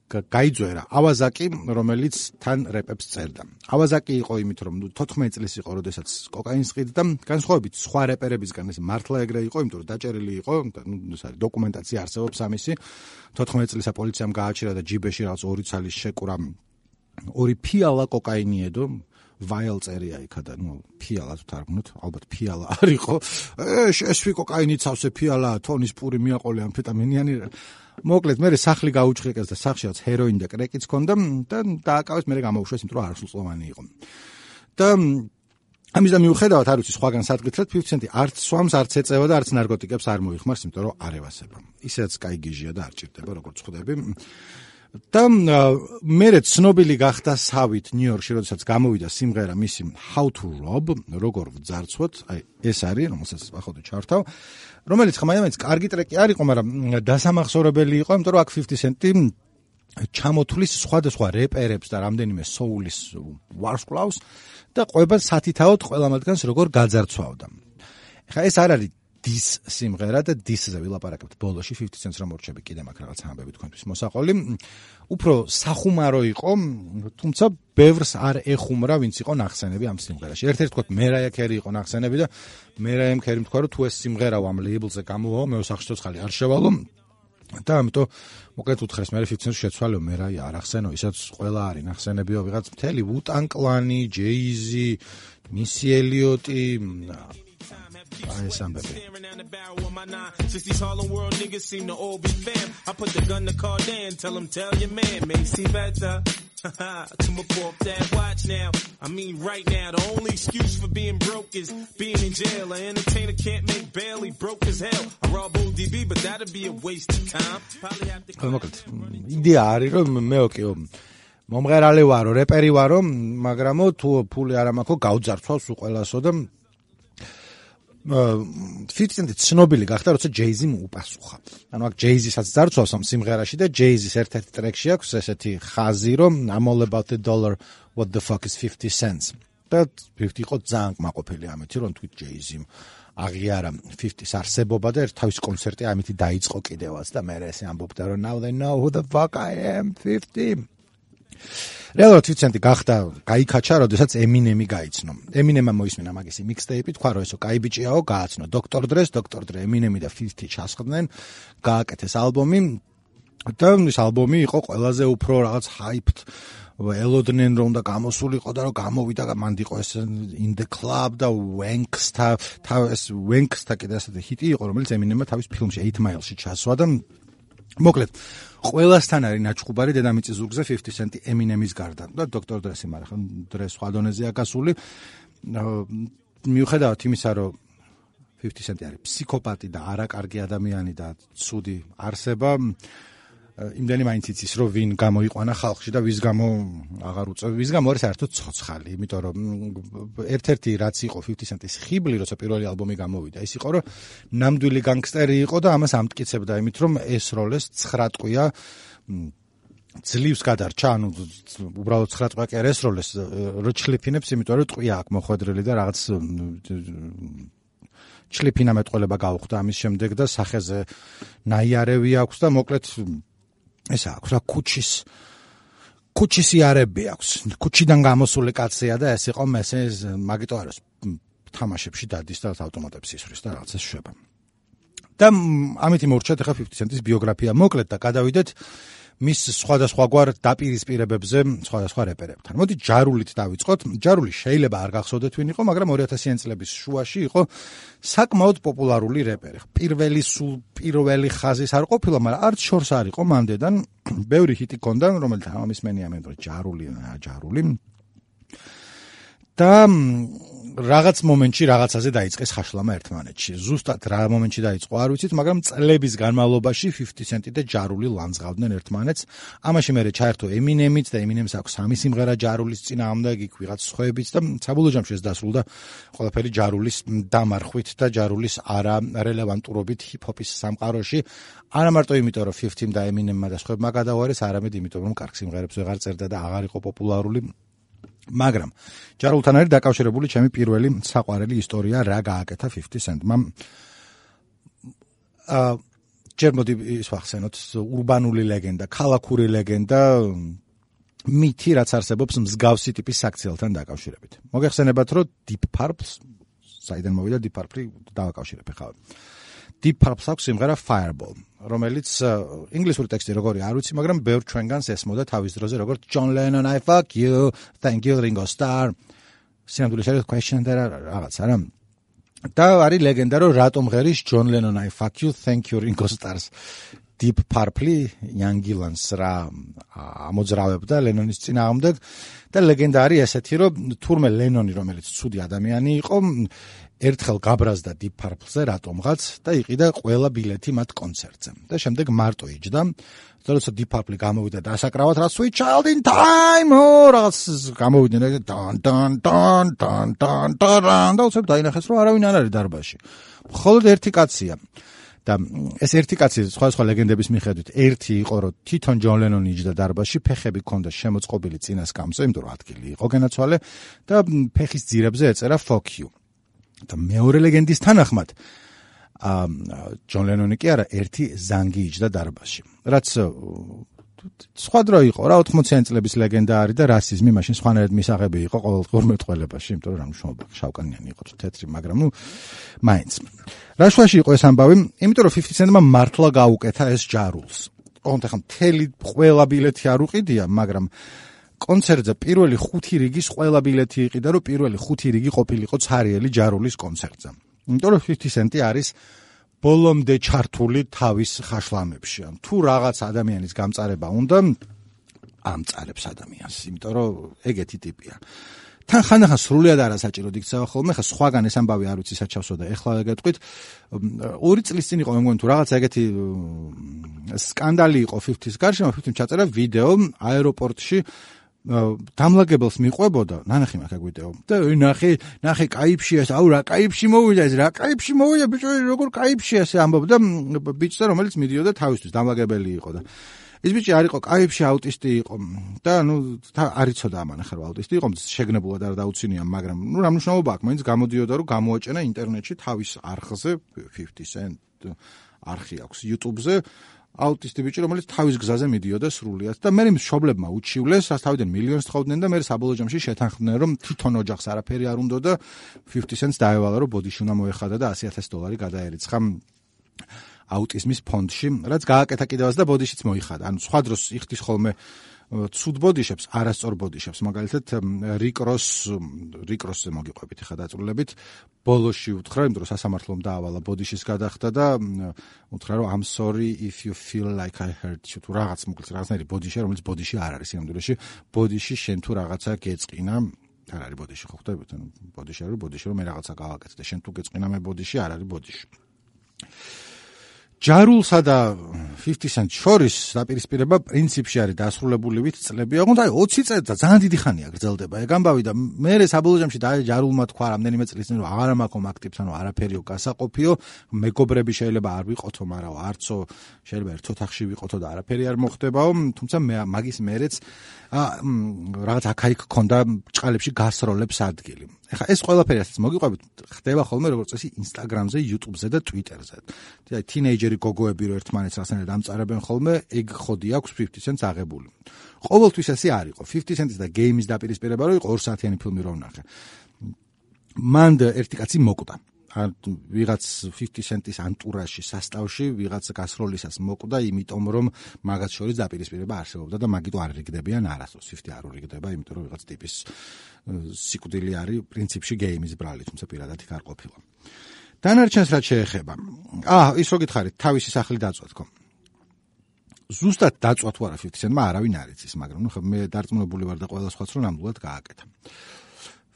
გაიძვერა ავაზაკი, რომელიც თან რეპებს წერდა. ავაზაკი იყო იმით, რომ თოთხმეტი წლის იყო, როდესაც კოკაინს ყიდდა, განსხვავებით სხვა რეპერებისგან ეს მართლა ეგრე იყო, იმიტომ რომ დაჭერილი იყო, ეს არის დოკუმენტაცია არსებობს ამისი. თოთხმეტი წლისა პოლიციამ გააჩერა და ჯიბეში რაღაც ორი ცალის შეკურა ორი ფიალა კოკაინი ედო. ვაილ წერია იქა და ნუ ფიალა თუ თარგმნოთ, ალბათ ფიალა არ იყო. ე შეესვი კოკაინი ცავსე ფიალა, თონის პური მიაყოლე ამფეტამინიანი. მოკლედ მე სახლი გაუჩხრიკეს და სახშიაც ჰეროინი და კრეკიც ქონდა და დააკავეს, მე გამოვუშვეს, იმიტომ რომ არასრულწლოვანი იყო. და ამის და მიუხედავად არ ვიცი სხვაგან სადგეთრად fifty cent-ი არც სვამს, არც ეწევა და არც ნარკოტიკებს არ მოიხმარს, იმიტომ რომ არ ევასება. ისედაც კაი გიჟია და არ ჭირდება, როგორც ხვდები. და მერე ცნობილი გახდა სავით ნიუ-იორკში, როდესაც გამოვიდა სიმღერა მისი How to Rob, როგორ ვძარცვოთ, აი ეს არის, რომელსაც ახლა ჩართავ, რომელიც ხმაიამეც კარგი ტრეკი არ იყო, მაგრამ დასამახსოვრებელი იყო, იმიტომ რომ აქ fifty Cent-ი ჩამოთვლის სხვადასხვა რეპერებს და რამდენიმე soul-ის ვარსკვლავს და ყვება სათითაოდ ყველა მათგანს როგორ გაძარცვავდა. ეხლა ეს არ არის დის სიმღერა და დისზე ვილაპარაკებთ ბოლოში fifty Cent-ს რომ მორჩები კიდე მაგ რაღაც ამბები თქვენთვის მოსაყოლი. უფრო სახუმარო იყო, თუმცა ბევრს არ ეხუმრა, ვინც იყო ნახსენები ამ სიმღერაში. ერთ-ერთი თქვა მერაია ქერი იყო ნახსენები და მერაიამ ქერი თქვა რომ თუ ეს სიმღერა ამ ლეიბლზე გამოვაო, მე სახში ცოცხალი არ შევალო და ამიტომ მოკლედ უთხრეს მე fifty Cent-ს შეცვალო მერაია არ ახსენო, ისაც ყველა არის ნახსენებიო ვიღაც მთელი Wu-Tang Clan-ი, Jay-Z, Missy Elliott-ი I staring down the barrel of my nine. Since these Harlem World niggas seem to all be fam. I put the gun to Cardan, tell him, tell your man, Macy better. To my pop that watch now. I mean, right now, the only excuse for being broke is being in jail. An entertainer can't make bail, he broke as hell. I rob O D B, but that'd be a waste of time. Probably have to. იდეა არის რომ მე ოკეო მომღერალი ვარო, რეპერი ვარო, მაგრამ თუ ფული არ მაქვს, გავძარცვავს უყველასო და fifty Cent ცნობილი გახდა, როცა Jay-Z მოუპასუხა. ანუ აქ Jay-Z-საც ძარცვავს ამ სიმღერაში და Jay-Z-ის ერთ-ერთი ტრეკში აქვს ესეთი ხაზი, რომ I'm all about the dollar, what the fuck is fifty cents. და fifty იყო ძალიან კმაყოფილი ამეთი, რომ თვით Jay-Z-მ აღიარა fifty-ის არსებობა და ერთ თავის კონცერტი ამითი დაიწყო კიდევაც და მე ესე ამბობდა, რომ now they know who the fuck I am, fifty. რეალურად fifty Cent გახდა გაიქაჩა, როდესაც Eminem-ი გაიცნო. Eminem-მა მოისმინა მაგისი mixtape-ი, თქვა რომ ესო კაი ბიჭიაო, გააცნო Doctor Dre-ს, Doctor Dre, Eminem-ი და fifty ჩასხდნენ, გააკეთეს ალბომი და ეს ალბომი იყო ყველაზე უფრო რაღაც hyped, ელოდნენ რომ და გამოსულიყო და რომ გამოვიდა მანდ იყო ეს In the Club და Wanks-თა, ეს Wanks-თა კიდე ასეთი ჰიტი იყო, რომელიც Eminem-მა თავის ფილმში eight Mile-ში ჩასვა და მოკლედ ყველასთან არის ნაჩხუბარი დედამიწის ზურგზე fifty Cent-ი Eminem-ის გარდა და Doctor Dre-ი, მაგრამ Dre სხვა დონეზეა გასული. მიუხედავად იმისა, რომ fifty Cent-ი არის ფსიქოპატი და არაკარგი ადამიანი და ცუდი არსება, იმდენი მაინც იცის, რომ ვინ გამოიყვანა ხალხში და ვის გამო აღარ უწევ, ვის გამო არის საერთოდ ცოცხალი, იმიტომ რომ ერთ-ერთი რაც იყო fifty Cent-ის ხიბლი, როცა პირველი ალბომი გამოვიდა, ის იყო, რომ ნამდვილი განგსტერი იყო და ამას ამტკიცებდა იმით, რომ ეს როლეს nine ტყვია ძლივს გადარჩა, ანუ უბრალოდ nine ტყვია კი არ ეს როლეს რო ჩლიფინებს, იმიტომ რომ ტყვია აქვს მოხვედრილი და რაღაც ჩლიფინა მეტყველება გაუხდა ამის შემდეგ და სახეზე ნაიარევი აქვს და მოკლედ ესა აქვს რა ქუჩის ქუჩის იარები აქვს. ქუჩიდან გამოსული კაცია და ეს იყო მესე მაგიტო არის თამაშებში დადის და ავტომატებს ისვრის და რაღაცა შვება. და ამითი მორჩათ ახლა fifty Cent-ის ბიოგრაფია მოკლედ და გადავიდეთ მის სხვადასხვაგვარ დაპირისპირებებზე სხვადასხვა რეპერებთან. მოდი ჯარულით დავიწყოთ. ჯარული შეიძლება არ გახსოვდეთ ვინ იყო, მაგრამ two thousand წლების შუაში იყო საკმაოდ პოპულარული რეპერი. პირველი სულ პირველი ხაზის არ ყოფილა, მაგრამ არც შორს არ იყო მანდედან. ბევრი ჰიტი ჰქონდა, რომელიც ამისმენია მე რომ ჯარული, ჯარული. და რაღაც მომენტში რაღაცაზე დაიწყეს ხაშლამა ერთმანეთში. ზუსტად რა მომენტში დაიწყო არ ვიცით, მაგრამ წლების განმავლობაში fifty Cent-ი და ჯარული ლანძღავდნენ ერთმანეთს. ამაში მერე ჩაერთო Eminem-იც და Eminem-ს აქვს სამი სიმღერა ჯარულის წინააღმდეგ, იქ ვიღაც სხვაებიც და საბოლოო ჯამში ეს დასრულდა ყველაფერი ჯარულის დამარხვით და ჯარულის არარელევანტურობით ჰიპ-ჰოპის სამყაროში. არა მარტო იმიტომ, რომ fifty-მ და Eminem-მა და სხვაებმა გადაუარეს, არამედ იმიტომ, რომ კარგ სიმღერებს ვეღარ წერდა და აღარ იყო პოპულარული. მაგრამ ჯარულთან არის დაკავშირებული ჩემი პირველი საყვარელი ისტორია, რა გააკეთა fifty Cent-მა. აა ჯერ მოდი ის ვახსენოთ, ურბანული ლეგენდა, ქალაქური ლეგენდა, მითი, რაც არსებობს მსგავსი ტიპის საქციელთან დაკავშირებით. მოგეხსენებათ, რომ Deep Purple, საიდან მოვიდა Deep Purple, დავაკავშირებ ხა. Deep Purple აქვს სიმღერა Fireball, რომელიც ინგლისური ტექსტი როგორი არ ვიცი, მაგრამ ბევრ ჩვენგანს ესმოდა თავის დროზე როგორც John Lennon, I fuck you, thank you Ringo Starr. სინამდვილეში არის question და რაღაც არა. და არის ლეგენდა, რომ რატომ ღერის John Lennon, I fuck you, thank you Ringo Starr-ს Deep Purple Young Gillans რა ამოძრავებდა ლენონის წინააღმდეგ და ლეგენდა არის ესეთი, რომ თურმე ლენონი, რომელიც ცუდი ადამიანი იყო, ერთხელ გაბრაზდა Deep Purple-ზე რატომღაც და იყიდა ყველა ბილეთი მათ კონცერტზე. და შემდეგ მარტო იჯდა. როცა Deep Purple გამოვიდა და ასაკრავად რა Sweet Child in Time, რაღაც გამოვიდნენ და დან დან დან დან დან დან და უცებ დაინახეს რომ არავინ არ არის დარბაზში. მხოლოდ ერთი კაცია. და ეს ერთი კაცი სხვა სხვა ლეგენდების მიხედვით ერთი იყო რომ თვითონ ჯონ ლენონი იჯდა დარბაზში, ფეხები ჰქონდა შემოწყობილი წინას კამზე, იმიტომ რომ ადგილი იყო გენაცვალე და ფეხის ძირებზე ეწერა Fuck you. და მეორე ლეგენდის თანახმად ჯონ ლენონი კი არა ერთი ზანგი იჯდა დარბაზში. რაც სხვა დრო იყო რა ოთხმოციანი წლების ლეგენდა არის და რასიზმი მაშინ სხვანაირად მისაღები იყო ყოველდღიურ მეტყველებაში, იმიტომ რომ რა მნიშვნელობა შავკანიანი იყო თეთრი, მაგრამ ნუ მაინც. რა შვაში იყო ეს ამბავი? იმიტომ რომ fifty Cent-მა მართლა გაუკეთა ეს ჯარულს. ოღონდ ახლა მთელი ყველა ბილეთი არ უყიდია, მაგრამ კონცერტზე პირველი ხუთი რიგის ყველა ბილეთი იყიდა, რომ პირველი ხუთი რიგი ყოფილიყო ცარიელი ჯარულის კონცერტზე. იმიტომ რომ fifty Cent-ი არის ბოლომდე ჩართული თავის ხაშლამებში. თუ რაღაც ადამიანის გამწარება უნდა, ამწარებს ადამიანს, იმიტომ რომ ეგეთი ტიპია. თან ხანდახან სრულიად არასაჭიროდ იქცევა ხოლმე, ხა სხვაგან ეს ამბავი არ ვიცი საჩავსო და ეხლა გეტყვით, ორი წლის წინ იყო მე მგონი თუ რაღაც ეგეთი სკანდალი იყო fifty-ის გარშემო, fifty-ს ჩაწერა ვიდეო აეროპორტში დამლაგებელს მიყვებოდა, ნანახი მაგ ვიდეო. და ნახე, ნახე კაიფშია ეს, აუ რა კაიფში მოვიდა ეს, რა კაიფში მოვიდა ბიჭო, როგორ კაიფშია ეს ამბობდა ბიჭზე, რომელიც მიდიოდა თავისთვის, დამლაგებელი იყო და ეს ბიჭი არ იყო კაიფში, აუტისტი იყო და ნუ არ იცოდა ამან ახლა აუტისტი იყო, შეგნებულად არ დაუცინია, მაგრამ ნუ რა მნიშვნელობა აქვს, მაინც გამოდიოდა რომ გამოაჭენა ინტერნეტში თავის არხზე fifty Cent არხი აქვს YouTube-ზე აუტისტი ბიჭი, რომელიც თავის გზაზე მიდიოდა სრულიად და მე მშობლებმა უჩივლეს, რაც თავიდან მილიონს თხოვდნენ და მე საბოლოო ჯამში შეთანხმდნენ, რომ თვითონ ოჯახს არაფერი არ უნდა და fifty Cent-ს დაევალა, რომ ბოდიში უნდა მოეხადა და one hundred thousand დოლარი გადაერიცხა აუტიზმის ფონდში, რაც გააკეთა კიდევაც და ბოდიშიც მოიხადა. ანუ სხვა დროს იხდის ხოლმე ცუდ ბოდიშებს, არასწორ ბოდიშებს, მაგალითად რიკ როს რიკ როსზე მოგიყვებით ხა დაწვრილებით, ბოლოში უთხრა, იმიტომ რომ სასამართლომ დაავალა ბოდიშის გადახდა და უთხრა რომ I'm sorry if you feel like I hurt you. თუ რაღაც მოკლედ რაღაცნაირი ბოდიშია, რომელიც ბოდიში არ არის სინამდვილეში, ბოდიში შენ თუ რაღაცა გეწყინა, არ არის ბოდიში, ხო ხვდებით? ანუ ბოდიში არის, ბოდიში რომ მე რაღაცა გავაკეთე და შენ თუ გეწყინა მე ბოდიში, არ არის ბოდიში. ჯარულსა და fifty Cent შორის დაპირისპირება პრინციპში არის დასრულებული ვით წლები. ოღონდ აი ოცი წელი და ძალიან დიდი ხანია გრძელდება ეგ ამბავი და მე საბოლოო ჯამში და ჯარულმა თქვა რამდენიმე წლის წინ რომ აღარ მაქვს აქტივს, ანუ არაფერიო გასაყოფიო, მეგობრები შეიძლება არ ვიყოთო, მაგრამ არცო შეიძლება ერთ ოთახში ვიყოთო და არაფერი არ მოხდებაო, თუმცა მე მაგის მერეც რაღაც აქა-იქ ქონდა ჭყალებში გასროლებს ადგილი. ეხა ეს ყველაფერი ასეც მოგიყვებით, ხდება ხოლმე როგორც წესი Instagram-ზე, YouTube-ზე და Twitter-ზე. და თინეიჯერი გოგოები რო ერთმანეთს რაღაცნაირად ამწარებენ ხოლმე, ეგ ხოდი აქვს fifty Cent-ს აღებული. ყოველთვის ესე არ იყო. fifty Cent-ის და Game-ის დაპირისპირება რო იყო ორ საათიანი ფილმი რო ვნახე. მან ერთი კაცი მოკვდა. ვიღაც fifty Cent-ის ანტურაჟში, სასტავში, ვიღაც გასროლისას მოკვდა, იმიტომ რომ მაგაც შორის დაპირისპირება არსებობდა და მაგიტო არ რიგდებიან არასდროს. fifty არ რიგდება, იმიტომ რომ ვიღაც ტიპის სიკვდილი არის პრინციპში Game-ის ბრალი, თუმცა პირადად იქ არ ყოფილა. დანარჩენს რაც შეეხება. აა, ის რო გითხარით, თავისი სახლი დაწვა თქო. ზუსტად დაწვა თუ არა fifty Cent-მა არავინ არ იცის, მაგრამ ნუ მე დარწმუნებული ვარ და ყველა სხვაც რომ ნამდვილად გააკეთა.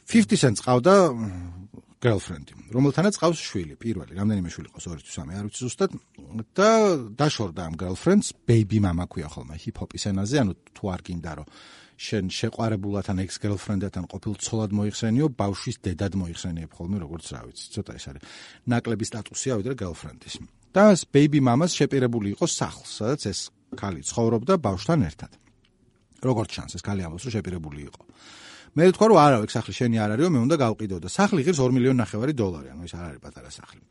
fifty Cent-ს ყავდა girlfriend-ი, რომელთანაც ყავს შვილი, პირველი, რამდენიმე შვილი ყავს, ორი თუ სამი, არ ვიცი ზუსტად და დაშორდა ამ girlfriend-ს, baby mama ქვია ხოლმე hip-hop-ის ენაზე, ანუ თუ არ გინდა რომ შენ შეყვარებულთან ex-girlfriend-თან ყოფილ ცოლად მოიხსენიო, ბავშვის დედად მოიხსენიებ ხოლმე, როგორც რა ვიცი, ცოტა ეს არის ნაკლები სტატუსია ვიდრე girlfriend-ის. და ეს baby mama-ს შეპირებული იყო სახლს, სადაც ეს ქალი ცხოვრობდა ბავშვთან ერთად. როგორც ჩანს, ეს ქალი ამბობს, რომ შეპირებული იყო. მე ვთქვა რომ არა, ეგ სახლი შენი არ არისო, მე უნდა გავყიდო და სახლი ღირს two მილიონი ნახევარი დოლარი, ანუ ეს არ არის პატარა სახლი.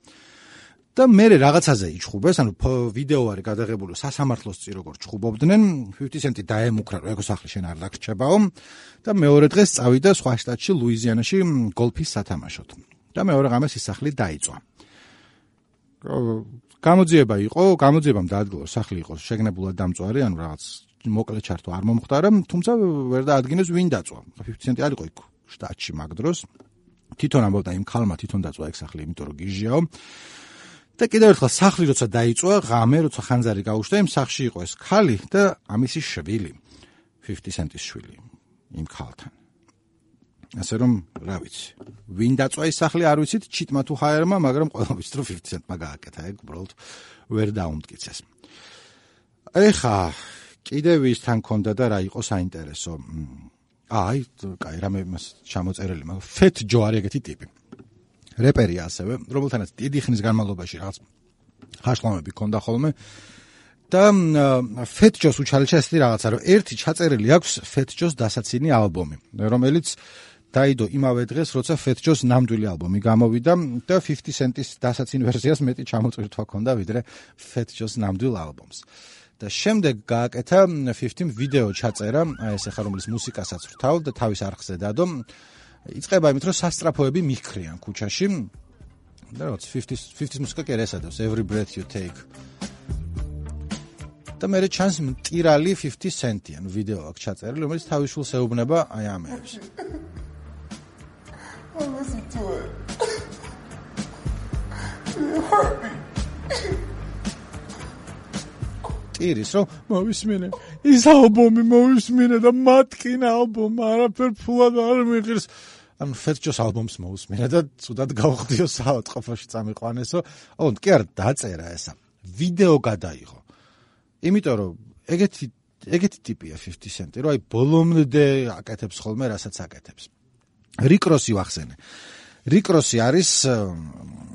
და მე რაღაცაზე იჩხუბეს, ანუ ვიდეო არის გადაღებული სასამართლოს წინ როგორ ჩხუბობდნენ, fifty Cent-ი დაემუქრა, რომ ეგ სახლი შენ არ დაგრჩებაო და მეორე დღეს წავიდა სხვა შტატში, ლუიზიანაში გოლფის სათამაშოდ. და მეორე ღამეს ის სახლი დაიწვა. გამოძიება იყო, გამოძიებამ დაადგინა, სახლი იყო შეგნებულად დამწვარი, ანუ რაღაც მოკლე ჩართვა არ მომხდარა, თუმცა ვერ დაადგინეს ვინ დაწვა. fifty Cent-ი არ იყო იქ შტატში მაგ დროს. თვითონ ამბობდა იმ ქალმა თვითონ დაწვა ეგ სახლი, იმიტომ რომ გიჟიაო. და კიდევ ერთხელ სახლი როცა დაიწვა, ღამე როცა ხანძარი გაუშვდა, იმ სახლში იყო ეს ქალი და ამისი შვილი, fifty Cent-ის შვილი, იმ ქალთან. ასე რომ, რა ვიცი. ვინ დაწვა ის სახლი არ ვიცით, ჩიტმა თუ ჰაერმა, მაგრამ ყველა ვიცით რომ fifty cent-მა გააკეთა, ეგ უბრალოდ ვერ დაუმტკიცეს. ეხა კიდევ ის თან ქონდა და რა იყო საინტერესო. აი, კაი, რამე მას ჩამოწერილი, მაგრამ Fat Joe არის ეგეთი ტიპი. რეპერია ასევე, რომელთანაც დიდი ხნის განმავლობაში რაღაც ხაშლამები ქონდა ხოლმე. და Fat Joe-ს უჩალეჩა ესეთი რაღაცა, რომ ერთი ჩაწერილი აქვს Fat Joe-ს დასაცინი ალბომი, რომელიც დაიდო იმავე დღეს, როცა Fat Joe-ს ნამდვილი ალბომი გამოვიდა და fifty cent-ის დასაცინი ვერსიას მეტი ჩამოწვირთვა ქონდა, ვიდრე Fat Joe-ს ნამდვილ ალბომს. და შემდეგ გააკეთა fifty-м ვიდეო ჩაწერა, აი ეს ახლა რომლის მუსიკასაც ვრთავ და თავის არხზე დადო. იწყება იმით, რომ სასტრაფოები მიჰქრიან ქუჩაში. და რაღაც fifty-ს მუსიკა კი არ ესადავს, Every Breath You Take. და მე ჩანს მტირალი fifty cent-იან ვიდეო აქვს ჩაწერილი, რომელიც თავის შულს ეუბნება აი ამებს. Listen to it. It hurt me. ტირის რომ მოვისმინე ის ალბომი მოვისმინე და მათკინა ალბომი არაფერ ფულად არ მიღირს. ანუ Fat Joe-ს ალბომს მოусმინე და ცუდად გავხდიო საავადმყოფოში წამიყვანესო. ოღონდ კი არ დაწერა ესა. ვიდეო გადაიღო. იმიტომ რომ ეგეთი ეგეთი ტიპია fifty cent-ი, რომ აი ბოლომდე აკეთებს ხოლმე, რასაც აკეთებს. Rick Ross-ი ვახსენე. Rick Ross-ი არის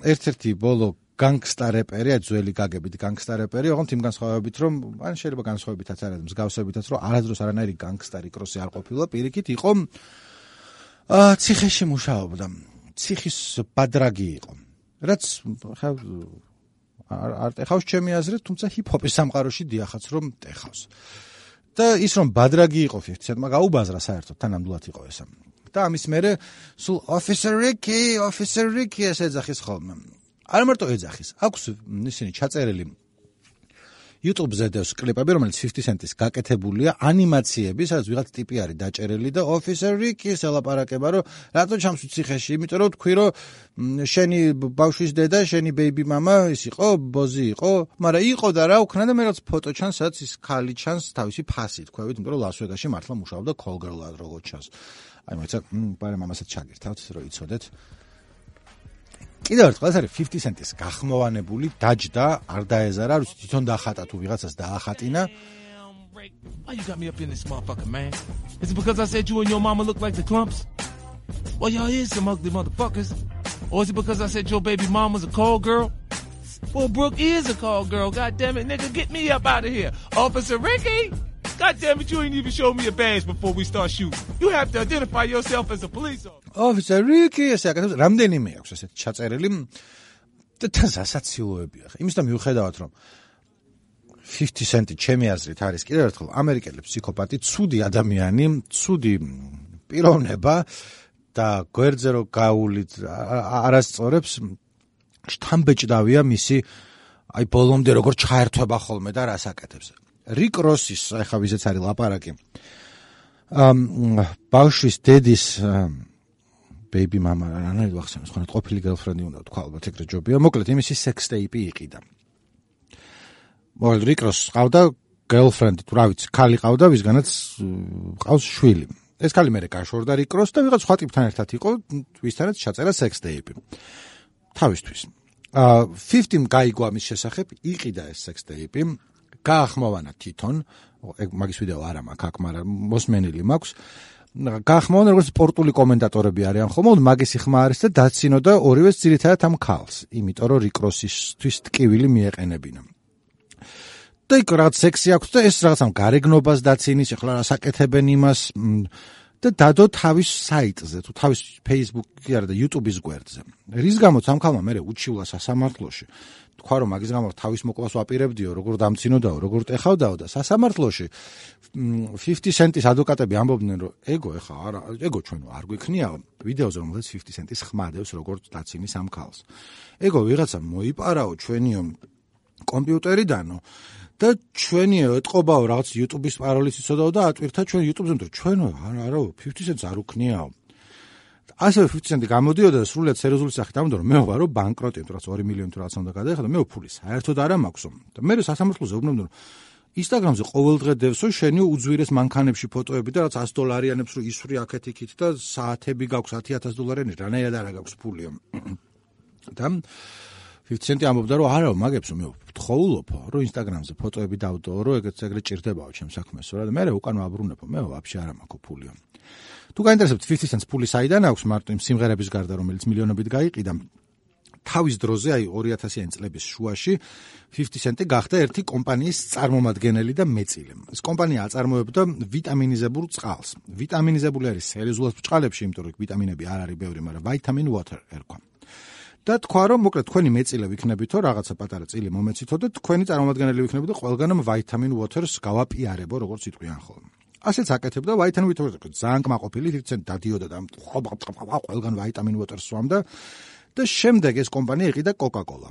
ერთ-ერთი ბოლო gangsta რეპერი, ძველი გაგებით gangsta რეპერი, ოღონდ იმ განსხვავებით, რომ ან შეიძლება განსხვავებითაც არ არის, მსგავსებითაც, რომ არადროს არანაირი gangsta Rick Ross-ი არ ყოფილა, პირიქით იყო აა ციხეში მუშაობდა. ციხის ბადრაგი იყო. რაც ხა არ ტეხავს ჩემი აზრით, თუმცა ჰიპ-ჰოპის სამყაროში დიახაც რომ ტეხავს. და ის რომ ბადრაგი იყო fifty cent-მა გაუბაზრა საერთოდ, თანამდვილად იყო ესა. და ამის მერე სულ Officer Ricky, Officer Ricky ეს ეძახის ხოლმე. არ მარტო ეძახის, აქვს ისინი ჩაწერილი YouTube-ზე დევს კლიპები, რომელიც fifty cent-ის გაკეთებულია, ანიმაციები, სადაც ვიღაც ტიპი არის დაჭერილი და Officer Ricky-ს ელაპარაკება, რომ რატო ჩამს ციხეში, იმიტომ რომ თქვი, რომ შენი ბავშვის დედა, შენი baby mama ის იყო, ბოზი იყო, მაგრამ იყო და რა უქნა და მე რაც ფოტო ჩანს, სადაც ის ქალი ჩანს თავისი ფასით, თქვევით, იმიტომ რომ ლას-ვეგასში მართლა მუშაობდა call girl-ად როგორ ჩანს. აი მოიცა, პარე მამასაც ჩაგირთავთ, რომ იცოდეთ. კიდევ ერთხელ ეს არის fifty cent-ის გახმოვანებული, დაჯდა, არ დაეზარა, რუსი თვითონ დაახატა თუ ვიღაცას დაახატინა. Why you got me up in this motherfucker, man? Is it because I said you and your mama look like the Clumps? Well, y'all is some ugly motherfuckers. Or is it because I said your baby mama's a call girl? Well, Brooke is a call girl. God damn it, nigga, get me up out of here. Officer Ricky! God damn it, you ain't even showed me a badge before we start shooting. You have to identify yourself as a police officer. Officer Ricky, ესე აკეთებს, რამდენიმე აქვს ესეთ ჩაწერილი და დასაცილოებია. იმისთან მიუხედავად, რომ fifty cent-ი ჩემი აზრით არის კიდევ ერთხელ ამერიკელი ფსიქოპატი, ცუდი ადამიანი, ცუდი პიროვნება და გვერდზე რო გაულით არასწორებს, შთამბეჭდავია მისი აი ბოლომდე როგორ ჩაერთვება ხოლმე და რას აკეთებს. Rick Ross-ის, ახლა ვიზეც არის ლაპარაკი. ამ ბავშვის დედის baby mama, რანაირ ვახსენე, სხვა ყოფილი girlfriend-ი უნდა თქვა, ალბათ ეგრე ჯობია. მოკლედ, იმისი sex tape-ი იყიდა. მოკლედ, Rick Ross ყავდა girlfriend, თუ რა ვიცი, ქალი ყავდა, ვისგანაც ყავს შვილი. ეს ქალი მერე გაშორდა Rick Ross და ვიღაც სხვა ტიპთან ერთად იყო, ვისთანაც ჩაწერა sex tape-ი. თავისთვის. აა fifty-м გაიგო ამის შესახებ, იყიდა ეს sex tape-ი. გაახმოვანა თვითონ, ეგ მაგის ვიდეო არ მაქვს აქ, მაგრამ მოსმენილი მაქვს. გაახმოვანა როგორც სპორტული კომენტატორები არიან ხოლმე, მაგისი ხმა არის და დაცინო და ორივეს ძირითადად ამ ქალს, იმიტომ რომ Rick Ross-ისთვის ტკივილი მიეყენებინა. და იქ რაღაც სექსი აქვს და ეს რაღაც ამ გარეგნობას დაცინის, ახლა რასაკეთებენ იმას და დადო თავის საიტზე, თუ თავის Facebook-ი არა და YouTube-ის გვერდზე. რის გამოც ამ ქალმა მერე უჩივლა სასამართლოში. თქვა რომ მაგის გამო თავის მოკლას ვაპირებდიო, როგორ დამცინოდაო, როგორ ტეხავდაო და სასამართლოში fifty cent-ის ადვოკატები ამბობდნენ, რომ ეგო ეხა არა, ეგო ჩვენო არ გვიქნიაო, ვიდეოზე რომელსაც fifty cent-ის ხმა დევს, როგორ დაცინის ამ ქალს. ეგო ვიღაცა მოიპარაო ჩვენიო კომპიუტერიდანო და ჩვენიო ეთყობაო რაღაც YouTube-ის პაროლის იცოდაო და ატვირთა ჩვენ YouTube-ზე, რომ ჩვენო არა, არა, fifty cent-ს არ უქნიაო. ასევე fifty cent-ი გამოდიოდა და სრულიად სერიოზული სახით ამბობდა, რომ მე ვარ რომ ბანკროტი, თუ რაც two მილიონი თუ რაც უნდა გადაეხადო, მე ფული საერთოდ არ მაქვსო. და მე სასამართლოზე უბრუნებდნენ, რომ Instagram-ზე ყოველდღე დევსო შენი უძვირეს მანქანებში ფოტოები და რაც ას დოლარიანებს რო ისვრი აქეთ-იქით და საათები გაქვს ათი ათას დოლარიანი, რანაირად არა გაქვს ფულიო. და fifty cent ამბობდა რომ არა მაგებს მე ვთხოვულობო რომ Instagram-ზე ფოტოები დავდო რომ ეგეც ეგრე ჭირდებაო ჩემ საქმესო რა და მე უკან ვაბრუნებო მე ვაფშე არა მაქვს ფულიო. თუ გაინტერესებთ fifty cents ფული საიდან აქვს მარტო იმ სიმღერების გარდა რომელიც მილიონობით გაიყიდა თავის დროზე აი ორი ათასიანი წლების შუაში fifty cent გახდა ერთი კომპანიის წარმომადგენელი და მეწილე. ეს კომპანია აწარმოებდა ვიტამინიზებულ წყალს. ვიტამინიზებული არის სერიოზულად ბჭყალებში, იმიტომ რომ ვიტამინები არ არის ბევრი, მაგრამ vitamin water ერქვა. და თქვა რომ მოკლედ თქვენი მეწილე ვიქნებითო, რაღაცა პატარა წილი მომეცითო და თქვენი წარმომადგენელი ვიქნებოდო და ყველგანამ vitamin water-ს გავაპიარებო, როგორც იტყვიან ხოლმე. ასეც აკეთებდა vitamin water-ს ძალიან კმაყოფილი fifty cent დადიოდა და ყველგან vitamin water-ს სვამდა. და შემდეგ ეს კომპანია იყიდა Coca-Cola.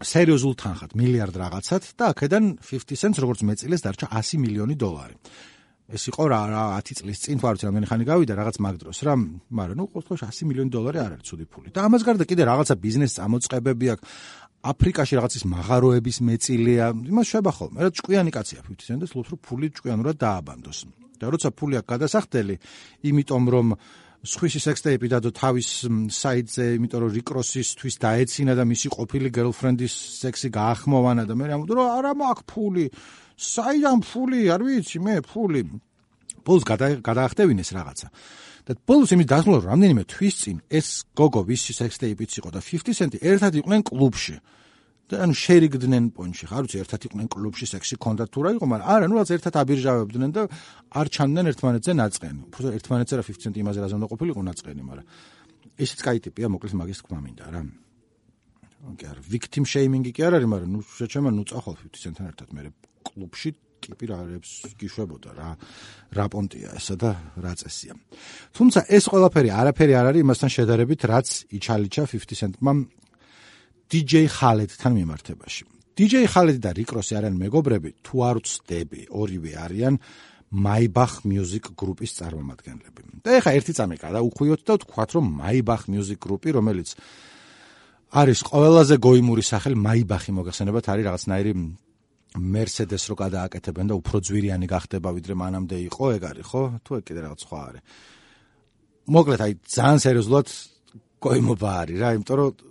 სერიოზულ თანხად, მილიარდ რაღაცად და აქედან fifty cents როგორც მეწილეს დარჩა ასი მილიონი დოლარი. ეს იყო რა რა ათი წლის წინ თუ არ ვიცი რამდენი ხანი გავიდა რაღაც მაგ დროს რა, მაგრამ ნუ ყოველთვის ასი მილიონი დოლარი არ არის ცუდი ფული. და ამას გარდა კიდე რაღაცა ბიზნეს წამოწყებები აქვს. აფრიკაში რაღაცის მაღაროების მეწილია, იმას შვება ხოლმე. რა ჭკვიანი კაცია fifty cent და სულს რომ ფული ჭკვიანურად დააბანდოს. და როცა ფული აქვს გადასახდელი, იმიტომ რომ სხვისი სექსტეიპი დადო თავის საიტზე, იმიტომ რომ რიკ როსისთვის დაეცინა და მისი ყოფილი გერლფრენდის სექსი გაახმოვანა და მე ამბობ რომ არა მაქვს ფული. საიდან ფული, არ ვიცი მე ფული. ბოლოს გადაახტევინეს რაღაცა. და ბოლოს იმის დასმულ რამდენიმე თვის წინ ეს გოგო ვისი სექსტეიპიც იყო და fifty cent ერთად იყვნენ კლუბში. და ანუ შერიგდნენ პონჩი, ხარ ვიცი ერთად იყვნენ კლუბში სექსი კონდათ თუ რა იყო, მაგრამ არა, ნუ რაც ერთად აბირჟავებდნენ და არ ჩანდნენ ერთმანეთზე ნაწყენი. უბრალოდ ერთმანეთზე რა fifty cent იმაზე რაზე უნდა ყოფილიყო ნაწყენი, მაგრამ ესეც კაი ტიპია, მოკლედ მაგის თქმა მინდა რა. ოკეი, არა, victim shaming-ი კი არ არის, მაგრამ ნუ შეჩემა ნუ წახვალ fifty cent-თან ერთად მე კლუბში ტიპი რარებს გიშვებოდა რა. რა პონტია ესა და რა წესია. თუმცა ეს ყველაფერი არაფერი არ არის იმასთან შედარებით, რაც იჩალიჩა fifty cent-მა დი ჯეი Khaled-თან მიმართებაში. დი ჯეი Khaled და რიკ როსი არიან მეგობრები, თუ არ ვცდები, ორივე არიან Maybach Music Group-ის წარმომადგენლები. და ეხა ერთი წამი გადაუხვიოთ და ვთქვათ, რომ Maybach Music Group-ი, რომელიც არის ყველაზე გოიმური სახელი Maybach-ი მოგახსენებათ, არის რაღაცნაირი Mercedes რო გადააკეთებენ და უფრო ძვირიანი გახდება, ვიდრე მანამდე იყო, ეგ არის, ხო? თუ ეგ კიდე რაღაც სხვა არის. მოკლედ, აი ძალიან სერიოზულად გოიმობა არის რა, იმიტომ რომ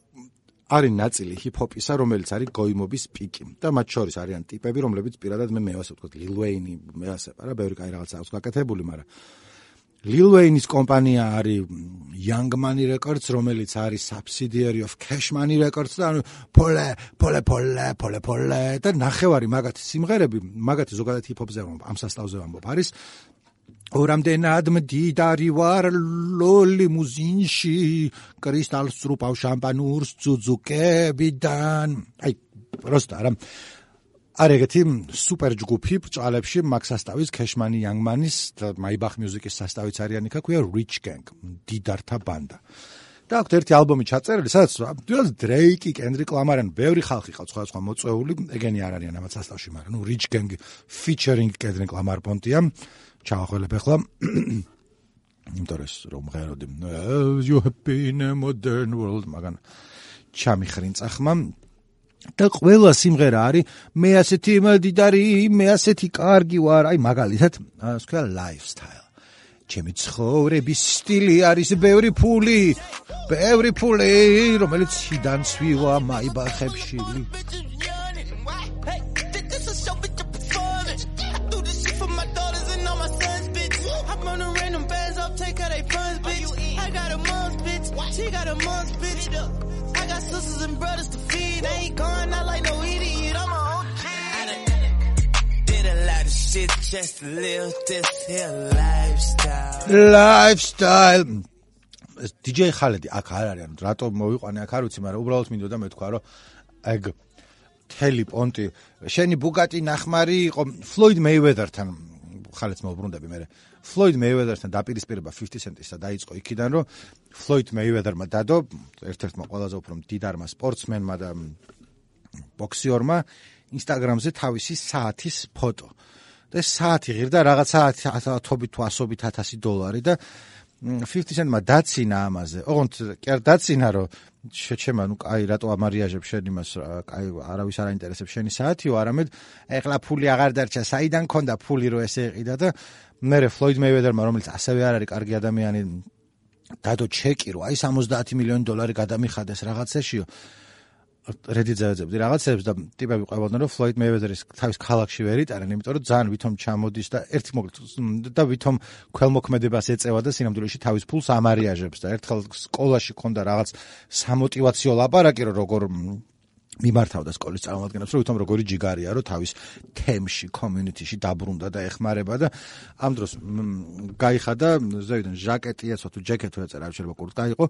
არის ნაწილი ჰიპ-ჰოპისა, რომელიც არის გოიმობის პიკი და მათ შორის არიან ტიპები, რომლებიც პირადად მე მევასე ვთქვათ, Lil Wayne, მეასება რა, ბევრი კაი რაღაცა აქვს გაკეთებული, მაგრამ Lil Wayne-ის კომპანია არის Young Money Records, რომელიც არის subsidiary of Cash Money Records და ანუ pole, pole, pole, pole, pole და ნახევარი მაგათი სიმღერები, მაგათი ზოგადად ჰიპ-ჰოპზე ამ სასწავლზე ვამბობ, არის ორამდენად მდიდარი ვარ ლიმუზინში კრისტალს წრუპავ შამპანურს ძუძუკებიდან აი პროსტა რა არ ეგეთი სუპერ ჯგუფი ბჭყალებში მაგ სასტავის Cashmani Young Money-ის და Maybach Music-ის სასტავიც არიან იქ ქვია Rich Gang დიდართა ბანდა და აქვს ერთი ალბომი ჩაწერილი სადაც Drake, Kendrick Lamar ან ბევრი ხალხი ყავს სხვადასხვა მოწვეული ეგენი არ არიან ამათ სასტავში მაგრამ ნუ Rich Gang featuring Kendrick Lamar პონტია ჩავახველებ ახლა ინტერეს რომ ღეროდი you have been a modern world მაგან ჩამიხრინწა ხმა და ყველა სიმღერა არის მე ასეთი მდიდარი მე ასეთი კარგი ვარ აი მაგალითად ასე ვქვა lifestyle ჩემი ცხოვრების სტილი არის ბევრი ფული ბევრი ფული რომელიც შიდან სვივა Maybach-ებში She got a mom's bitch. I got sisters and brothers to feed. I ain't going out like no idiot. I'm a O G. I done did a lot of shit just to live this here lifestyle. Lifestyle. დი ჯეი Khaled-ი აქ არ არის, ანუ რატო მოვიყვანე აქ არ ვიცი, მაგრამ უბრალოდ მინდოდა მეთქვა, რომ ეგ თელი პონტი, შენი Bugatti ნახმარი იყო Floyd Mayweather-თან ხალეთს მოვბრუნდები მე. Floyd Mayweather-თან დაპირისპირება fifty cent-ისა დაიწყო იქიდან, რომ Floyd Mayweather-მა დადო ერთ-ერთმა ყველაზე უფრო მდიდარმა სპორტსმენმა და ბოქსიორმა Instagram-ზე თავისი საათის ფოტო. და საათი ღირდა რაღაცა ათობით თუ ასობით ათასი დოლარი და fifty Cent-მა დაცინა ამაზე. ოღონდ კი არ დაცინა, რომ შეჩემა, ნუ კაი რატო ამარიაჟებ შენ იმას, კაი არავის არ აინტერესებს შენი საათიო, არამედ ეხლა ფული აღარ დარჩა, საიდან ქონდა ფული რომ ესე ეყიდა და მერე Floyd Mayweather-მა, რომელიც ასევე არ არის კარგი ადამიანი, დადო ჩეკი, რომ აი სამოცდაათი მილიონი დოლარი გადამიხადეს რაღაცაშიო. Reddit-ზე ეძებდი რაღაცებს და ტიპები ყვებოდნენ, რომ Floyd Mayweather-ის თავის ქალაქში ვერ იტარენ, იმიტომ რომ ძალიან ვითომ ჩამოდის და ერთი მოკლედ და ვითომ ქველმოქმედებას ეწევა და სინამდვილეში თავის ფულს ამარიაჟებს და ერთხელ სკოლაში ქონდა რაღაც სამოტივაციო ლაპარაკი, რომ როგორ მიმართავდა სკოლის წარმომადგენლებს, რომ ვითომ როგორი ჯიგარია, რომ თავის თემში, community-ში დაბრუნდა და ეხმარება და ამ დროს გაიხადა ზევიდან ჟაკეტი ეცვა თუ ჯეკეტი ეწერა, არ შეიძლება კურტკა იყო,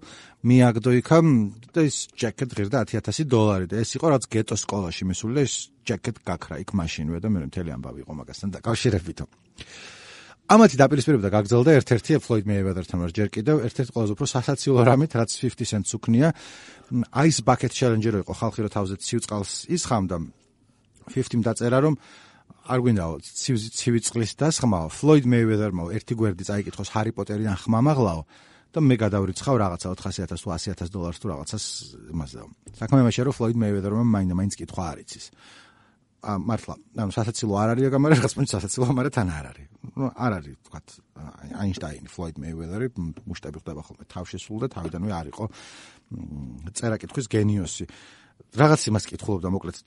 მიაგდო იქა და ის ჯეკეტი ღირდა ათი ათასი დოლარი და ეს იყო რაც გეტო სკოლაში მისული და ეს ჯეკეტი გაქრა იქ მაშინვე და მე მთელი ამბავი იყო მაგასთან დაკავშირებით. ამათი დაპირისპირება გაგრძელდა ერთ-ერთი Floyd Mayweather-თან ჯერ კიდევ ერთ-ერთი ყველაზე უფრო სასაცილო რამით, რაც fifty Cent-ს უქნია, Ice Bucket Challenge-ი რო იყო, ხალხი რო თავზე ცივ წყალს ისხამდა, fifty-მ დაწერა, რომ არ გვინდაო ცივი წყლის დასხმაო, Floyd Mayweather-მა ერთი გვერდი წაიკითხოს Harry Potter-იდან ხმამაღლაო და მე გადავრიცხავ რაღაცა ოთხასი ათასი თუ ასი ათასი დოლარს თუ რაღაცას იმას და საქმე იმაშია, რომ Floyd Mayweather-მა მაინდა მაინც კითხვა არ იცის. ა მართლა, ანუ სასაცილო არ არის, მაგრამ რაღაც პონჩი სასაცილო, მაგრამ თან არ არის. ნუ არ არის, თქვათ, Einstein, Floyd Mayweather-ი მუშტები ხდება ხოლმე თავშესულ და თავიდანვე არ იყო წერა-კითხვის გენიოსი. რაღაც იმას კითხულობდა, მოკლედ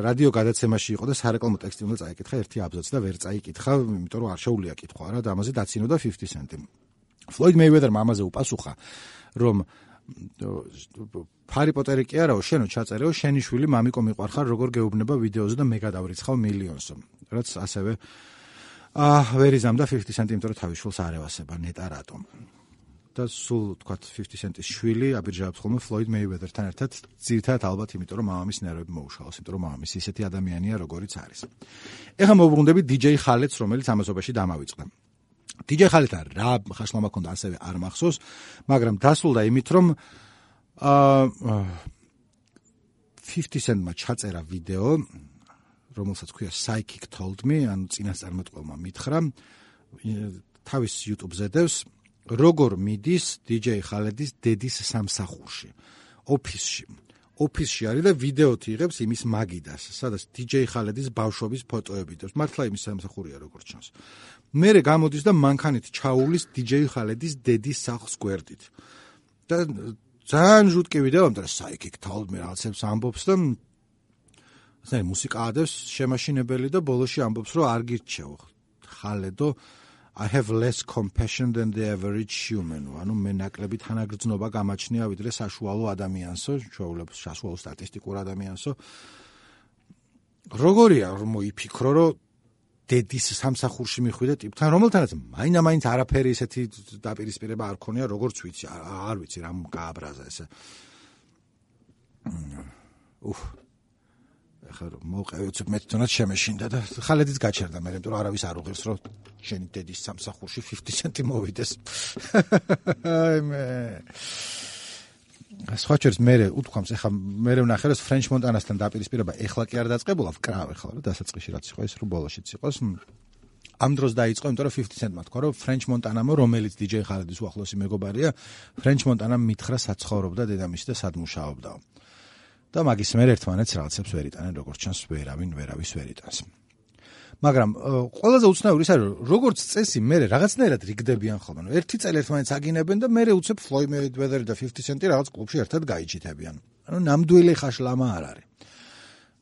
რადიო გადაცემაში იყო და სარეკლამო ტექსტი უნდა წაიკითხა ერთი აბზაცი და ვერ წაიკითხა, იმიტომ რომ არ შეუძლია კითხვა რა და ამაზე დაცინოდა fifty Cent-ი. Floyd Mayweather-მა ამაზე უპასუხა, რომ Harry Potter-ი კი არაო, შენო ჩაწერეო, შენი შვილი მამიკო მიყვარხარ, როგორ გეუბნება ვიდეოზე და მე გადავრიცხავ მილიონსო. რაც ასევე აა ვერ იზამდა fifty Cent-ი, იმიტომ რომ თავის შვილს არ ევასება ნეტა რატომ. და სულ თქვათ fifty Cent-ის შვილი აბირჟავებს ხოლმე Floyd Mayweather-თან ერთად, ძირითადად ალბათ იმიტომ რომ მამამის ნერვები მოუშალოს, იმიტომ რომ მამამისი ისეთი ადამიანია, როგორიც არის. ეხლა მოვუბრუნდებით D J Khaled-ს, რომელიც ამასობაში დამავიწყდა. D J Khaled-თან რა ხაშლამა ქონდა ასევე არ მახსოვს, მაგრამ დასრულდა იმით, რომ აა fifty Cent-მა ჩაწერა ვიდეო, რომელსაც ქვია Psychic Told Me, ანუ წინასწარმეტყველმა მითხრა, თავის YouTube-ზე დევს, როგორ მიდის D J Khaled-ის დედის სამსახურში, ოფისში. ოფისში არის და ვიდეოთი იღებს იმის მაგიდას, სადაც D J Khaled-ის ბავშვობის ფოტოები დევს. მართლა იმის სამსახურია როგორც ჩანს. მერე გამოდის და მანქანით ჩაუვლის D J Khaled-ის დედის სახლს გვერდით. და ძალიან ჟუტკი ვიდეო, ამიტომ Psychic Told Me რაღაცებს ამბობს და ასე მუსიკა ადევს შემაშინებელი და ბოლოში ამბობს, რომ არ გირჩევ Khaled-ო, I have less compassion than the average human. ანუ მე ნაკლები თანაგრძნობა გამაჩნია ვიდრე საშუალო ადამიანსო, ჩვეულებს საშუალო სტატისტიკურ ადამიანსო. როგორია რომ მოიფიქრო, რომ დედის სამსახურში მიხვიდა ტიპთან, რომელთანაც მაინდა-მაინც არაფერი ისეთი დაპირისპირება არ ქონია, როგორც ვიცი, არ ვიცი რამ გააბრაზა ესე. უფ. ახლა მოვყევი მე თვითონაც შემეშინდა და Khaled-იც გაჩერდა მე, იმიტომ რომ არავის არ უღირს, რომ შენი დედის სამსახურში fifty Cent-ი მოვიდეს. აი მე. სხვაჩერს მე უთქვამს, ახლა მე ვნახე, რომ French Montana-სთან დაპირისპირება ეხლა კი არ დაწყებულა, ვკრავ ახლა, რომ დასაწყისში რაც იყო, ეს რო ბოლოშიც იყოს. ამ დროს დაიწყო, იმიტომ რომ fifty Cent-მა თქვა, რომ French Montana-მო, რომელიც D J Khaled-ის უახლოესი მეგობარია, French Montana-მ მითხრა საცხოვრობდა დედამისი და სად მუშაობდაო. და მაგის მერე ერთმანეთს რაღაცებს ვერ იტანენ, როგორც ჩანს, ვერავინ ვერავის ვერ იტანს. მაგრამ ყველაზე უცნაური ის არის, როგორც წესი მერე რაღაცნაირად რიგდებიან ხოლმე. ერთი წელი ერთმანეთს აგინებენ და მერე უცებ Floyd Mayweather და fifty Cent-ი რაღაც კლუბში ერთად გაიჩიტებიან. ანუ ნამდვილი ხაშლამა არ არის.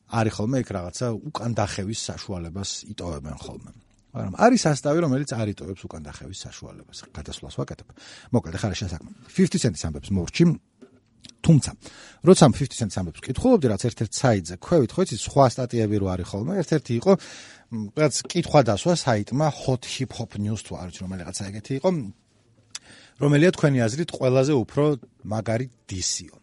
არის ხოლმე იქ რაღაცა უკან დახევის საშუალებას იტოვებენ ხოლმე. მაგრამ არის ასტავი, რომელიც არ იტოვებს უკან დახევის საშუალებას. გადასვლას ვაკეთებ. მოკლედ ახლა შესაძლოა. fifty Cent-ის ამბებს მორჩი. თუმცა, როცა fifty Cent-ის ამბებს კითხულობდი, რაც ერთ-ერთ საიტზე ქვევით, ხო იცი, სხვა სტატიები რო არის ხოლმე, ერთ-ერთი იყო რაც კითხვა დასვა საიტმა Hot Hip Hop News თუ არ ვიცი რომ რაღაცა ეგეთი იყო, რომელია თქვენი აზრით ყველაზე უფრო მაგარი დისიო.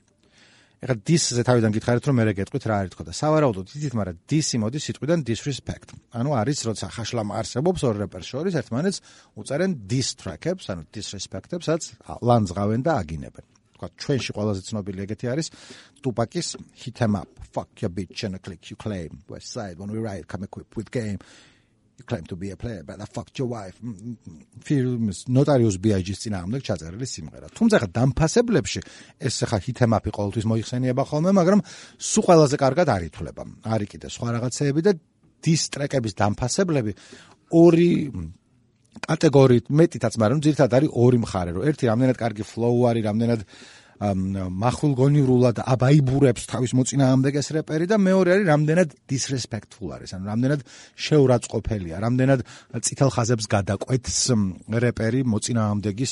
ეხლა დისზე თავიდან გითხარით რომ მე გეტყვით რა არის თქო და სავარაუდოდ იცით, მაგრამ დისი მოდის სიტყვიდან disrespect. ანუ არის როცა ხაშლამა არსებობს ორ რეპერს შორის ერთმანეთს უწარენ diss track-ებს, ანუ disrespect-ებს, რაც ლანძღავენ და აგინებენ. თქვა ჩვენში ყველაზე ცნობილი ეგეთი არის Tupac's Hit 'em Up, Fuck Your Bitch and a Click You Claim, West Side When We Ride Come Equipped With Game. You claim to be a player, but I fucked your wife. ფილმის Notorious B I G-ს წინააღმდეგ ჩაწერილი სიმღერა. თუმცა ხა დამფასებლებში ეს ხა ჰითემაპი ყოველთვის მოიხსენიება ხოლმე, მაგრამ სულ ყველაზე კარგად არ ითვლება. არის კიდე სხვა რაღაცეები და diss track-ების დამფასებლები ორი კატეგორიით მეტითაც, მაგრამ ძირითადად არის ორი მხარე, რომ ერთი რამდენად კარგი flow არის, რამდენად მახვილგონივრულად აბაიბურებს თავის მოწინააღმდეგეს რეპერი და მეორე არის რამდენად disrespectful არის, ანუ რამდენად შეურაცხყოფელია, რამდენად წითელ ხაზებს გადაკვეთს რეპერი მოწინააღმდეგის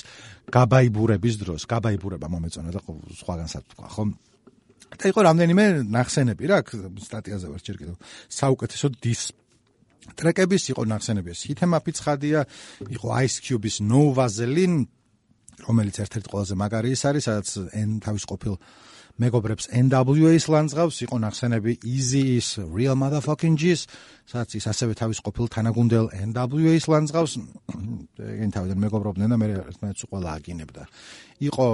გაბაიბურების დროს, გაბაიბურება მომეწონა და სხვაგანსაც თქვა, ხო? და იყო რამდენიმე ნახსენები რა, სტატიაზე ვარ ჯერ კიდევ. საუკეთესო diss ტრეკების იყო ნახსენები, ჰითემაპი ცხადია, იყო Ice Cube-ის No Vaseline, რომელიც ერთ-ერთი ყველაზე მაგარი ის არის, სადაც თავის ყოფილ მეგობრებს N W A-ს ლანძღავს, იყო ნახსენები Easy-ის Real Motherfucking G's, სადაც ის ასევე თავის ყოფილ თანაგუნდელ N W A-ს ლანძღავს, ეგენ თავიდან მეგობრობდნენ და მე ერთმანეთს ყველა აგინებდა. იყო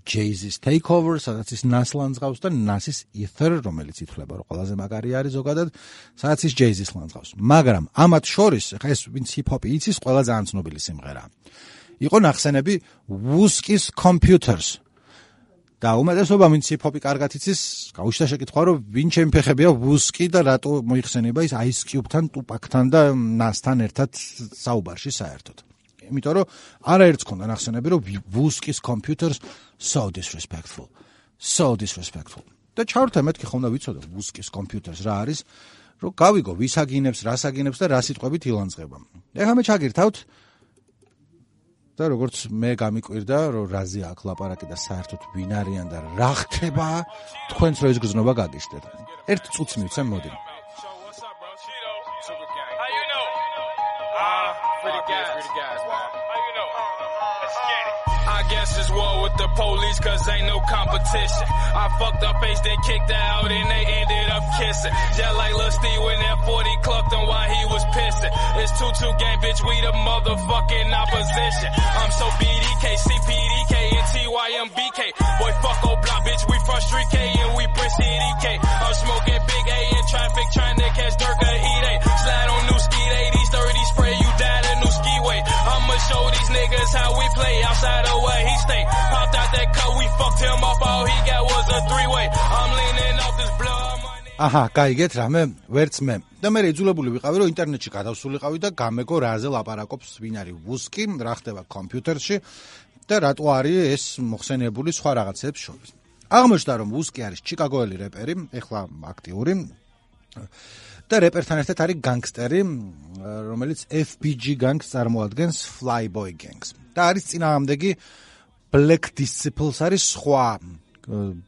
Jay-Z's Takeover, სადაც ის Nas ლანძღავს და Nas-ის Ether, რომელიც ითვლება, რომ ყველაზე მაგარი არის ზოგადად, სადაც ის Jay-Z's ლანძღავს. მაგრამ ამათ შორის, ხა ეს ვინც hip-hop-ი იცის, ყველა ძალიან ცნობილი სიმღერაა. იყო ნახსენები Wuski's Computers. და უმეტესობა ვინც hip-hop-ი კარგად იცის, გაუჩნდა შეკითხვა, რომ ვინ ჩემი ფეხებია Wuski და რატო მოიხსენება ის Ice Cube-თან, Tupac-თან და Nas-თან ერთად საუბარში საერთოდ. იმიტომ რომ არაერთს ქონდა ნახსენები, რომ Wuski's Computers so disrespectful. So disrespectful. და ჩავრთა მეთქი ხომ და ვიცოდა Wuski's Computers რა არის, რომ გავიგო ვის აგინებს, რას აგინებს და რა სიტყვებით ილანძღება. ეხლა მე ჩაგირთავთ და როგორც მე გამიკვირდა, რომ რაზე აქ ლაპარაკი და საერთოდ ვინ არიან და რა ხდება, თქვენც რო ეს გზნობა გაგიშდეთ. ერთ წუთს მივცემ, მოდი. I guess it's war with the police cause ain't no competition. I fucked up face then kicked her out and they ended up kissing. Just like Lil Steve when that forty clucked him while he was pissing. It's two two gang bitch, we the motherfucking opposition. I'm so B D K, C P D K and T Y M B K. Boy fuck old block bitch, we from Street K and we Brick City K. I'm smoking big A in traffic trying to catch Durga E-Day. Slide on new ski eighties, thirty spray you died a new skiway. I'ma show these niggas how we play outside of where he stay. Popped out that cut, we fucked him up, all he got was a three-way. I'm leaning off this blood money. აჰა, გაიგეთ რამე, ვერც მე. და მე იძულებული ვიყავი, რომ ინტერნეტში გადავსულიყავი და გამეგო რაზე ლაპარაკობს ვინ არის Wuski, რა ხდება კომპიუტერში და რატო არის ეს მოხსენიებული სხვა რაღაცებს შორის. აღმოჩნდა, რომ Wuski არის ჩიკაგოელი რეპერი, ეხლა აქტიური. და რეპერთან ერთად არის განგსტერი, რომელიც F B G Gangs წარმოადგენს Flyboy Gangs. და არის წინააღმდეგი Black Disciples არის სხვა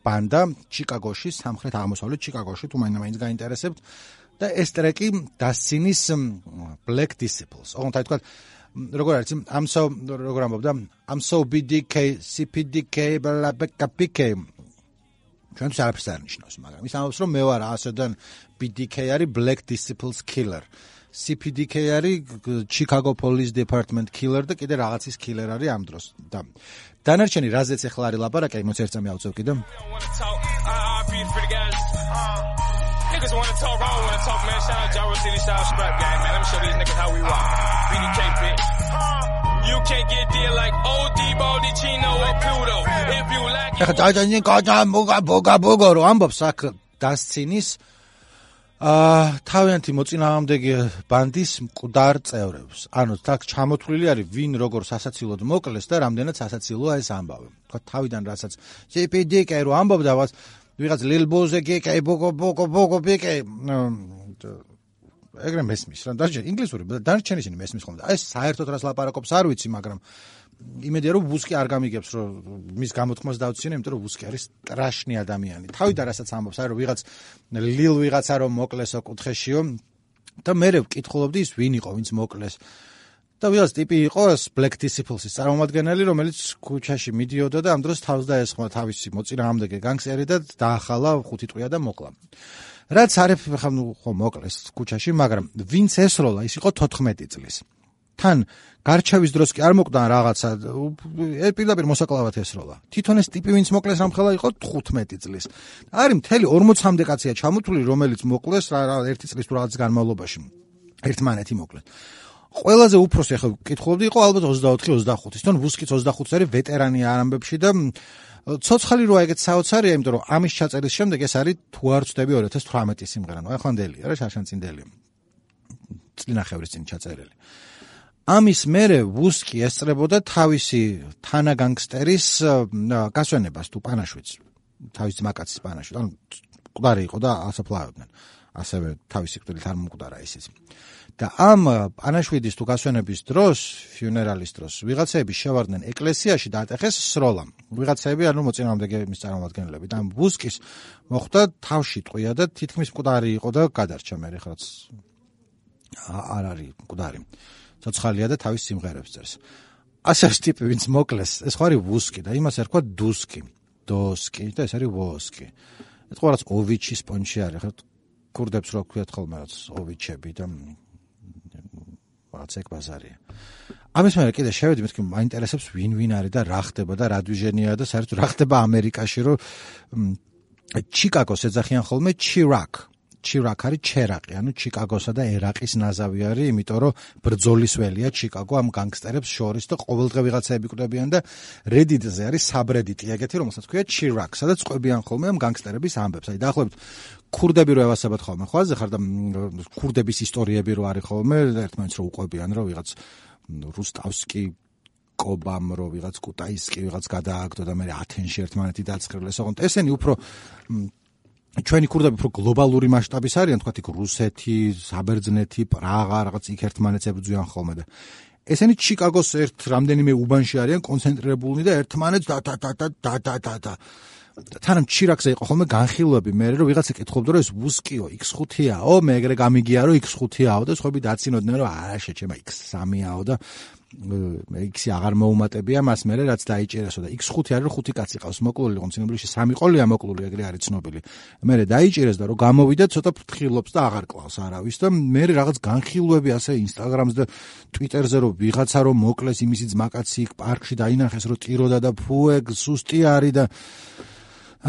ბანდა ჩიკაგოში, სამხრეთ აღმოსავლეთ ჩიკაგოში, თუ მაინც გაინტერესებთ და ეს ტრეკი დასცინის Black Disciples. ოღონდ აი თქვა როგორ არის I'm so როგორ ამბობდა I'm so B D K C P D K bla bla P K ჩვენც არაფერს არ ნიშნავს, მაგრამ ის ამბობს რომ მე ვარ ასოდან B D K არის Black Disciples Killer. C P D K არის Chicago Police Department Killer და კიდე რაღაცის killer არის ამ დროს. და დანარჩენი რაზეც ახლა არის ლაპარაკი, მოც ერთ წამი ავწევ კიდე. Niggas wanna talk, I don't wanna talk, man. Shout out Jaro City, shout out Scrap Gang, man. Let me show these niggas how we rock. B D K, bitch. You can't get deal like O D, Baldi, Chino, or Pluto. If you like it... ეხა დაიჯანი გაჯა მოგა ბოგა ბოგა რო ამბობს აქ დასცინის აა თავიანთი მოწინააღმდეგე ბანდის მკვდარ წევრებს. ანუ თაქ ჩამოთვლილი არის ვინ როგორ სასაცილოდ მოკლეს და რამდენად სასაცილოა ეს ამბავი. თქვა თავიდან რასაც C P D K რო ამბობდა ვას ვიღაც Lil Boze K ბოგო ბოგო ბოგო ბიკე ეგრე მესმის რა დაჟე ინგლისური დარჩენის ინი მესმის ხომ და ეს საერთოდ რას ლაპარაკობს არ ვიცი, მაგრამ იმედია რომ Wuski არ გამიგებს რომ მის გამოთქმას დავცინე, იმიტომ რომ Wuski არის ტრაშნი ადამიანი. თავიდან რასაც ამბობს, აი რომ ვიღაც Lil ვიღაცა რომ მოკლესო კუთხეშიო და მე ვკითხულობდი ის ვინ იყო, ვინც მოკლეს. და ვიღაც ტიპი იყო Black Disciples-ის წარმომადგენელი, რომელიც ქუჩაში მიდიოდა და ამ დროს თავს დაესხმა თავისი მოწინააღმდეგე განგსტერი და დაახალა ხუთი ტყვია და მოკლა. რაც არის ხა ნუ ხო მოკლეს ქუჩაში, მაგრამ ვინც ესროლა, ის იყო თოთხმეტი წლის. თან გარჩევის დროს კი არ მოკვდა რაღაცა, პირდაპირ მოსაკლავად ესროლა. თვითონ ეს ტიპი ვინც მოკლეს რამხელა იყო თხუთმეტი წლის. არის მთელი ორმოცამდე კაცია ჩამოთვლილი, რომელიც მოკლეს რა ერთი წლის თუ რაღაც განმავლობაში. ერთმანეთი მოკლედ. ყველაზე უფროსი ახლა კითხულობდი იყო ალბათ ოცდაოთხი ოცდახუთი. თვითონ ვუსკიც ოცდახუთი არის ვეტერანი არ ამბებში და ცოცხალი როა ეგეთ საოცარია, იმიტომ რომ ამის ჩაწერის შემდეგ ეს არის თუ არ ვცდები ორი ათას თვრამეტი სიმღერა. ნუ ახლანდელია რა შარშანწინდელია. წლინახევრის წინ ჩაწერილი. ამის მერე ვუსკი ესწრებოდა თავისი თანაგანგსტერის გასვენებას თუ პანაშვიდს, თავის ძმაკაცის პანაშვიდს. ანუ მკვდარი იყო და ასაფლავებდნენ. ასევე თავისი კვდილით არ მომკვდარა ისიც. და ამ პანაშვიდის თუ გასვენების დროს, ფიუნერალის დროს, ვიღაცები შევარდნენ ეკლესიაში და ატეხეს სროლა. ვიღაცები, ანუ მოწინააღმდეგე მის წარმომადგენლები. და ამ ვუსკის მოხდა თავში ტყვია და თითქმის მკვდარი იყო და გადარჩა მე ხაც არ არის მკვდარი. ცოცხალია და თავის სიმღერებს წერს. ასე არის ტიპი, ვინც მოკლეს, ეს ხო არის ვუსკი და იმას ერქვა დუსკი, დოსკი და ეს არის ვოსკი. ეს ხო რაც ოვიჩის პონჩი არის, ხა კურდებს რო ქვიათ ხოლმე რაც ოვიჩები და ვაცეკ ბაზარია. ამის მერე კიდე შევედი, მეთქი მაინტერესებს ვინ ვინ არის და რა ხდება და რა დვიჟენია და საერთოდ რა ხდება ამერიკაში, რომ ჩიკაგოს ეძახიან ხოლმე ჩირაკ. ჩირაკ არის ჩერაყი, ანუ ჩიკაგოსა და ერაყის ნაზავი არის, იმიტომ რომ ბრძოლის ველია ჩიკაგო ამ განგსტერებს შორის და ყოველდღე ვიღაცაები კვდებიან და Reddit-ზე არის საბრედიტი ეგეთი, რომელსაც ქვია ჩირაკ, სადაც ყვებიან ხოლმე ამ განგსტერების ამბებს. აი დაახლოებით ქურდები რო ევასებათ ხოლმე, ხო აზე ხარ და ქურდების ისტორიები რო არის ხოლმე, ერთმანეთს რო უყვებიან, რომ ვიღაც რუსტავსკი კობამ რო ვიღაც კუტაისკი ვიღაც გადააგდო და მე ათენში ერთმანეთი დაწყრილეს, ოღონდ ესენი უფრო ჩვენი ქურდები უფრო გლობალური მასშტაბის არიან, თქვათ იქ რუსეთი, საბერძნეთი, პრაღა, რაღაც იქ ერთმანეთს ებრძვიან ხოლმე და ესენი ჩიკაგოს ერთ რამდენიმე უბანში არიან კონცენტრირებულნი და ერთმანეთს და და და და და და და თანამ ჩირაკზე იყო ხოლმე განხილვები, მე რომ ვიღაცა კითხულობდა რომ ეს ვუსკიო იქს ხუთიაო, მე ეგრე გამიგია რომ იქს ხუთიაო და სხვები დაცინოდნენ რომ არა შეჩემა იქს სამიაო და ექვსი აღარ მოუმატებია მას მერე რაც დაიჭირესო და იქს ხუთი არის რომ ხუთი კაცი ყავს მოკლული იყო ცნობილში სამი ყოლია მოკლული ეგრე არის ცნობილი მერე დაიჭირეს და რომ გამოვიდა ცოტა ფრთხილობს და აღარ კლავს არავის და მერე რაღაც განხილვები ასე ინსტაგრამზე და ტვიტერზე რომ ვიღაცა რომ მოკლეს იმისი ძმაკაცი იქ პარკში დაინახეს რომ ტიროდა და ფუ ეგ სუსტი არის და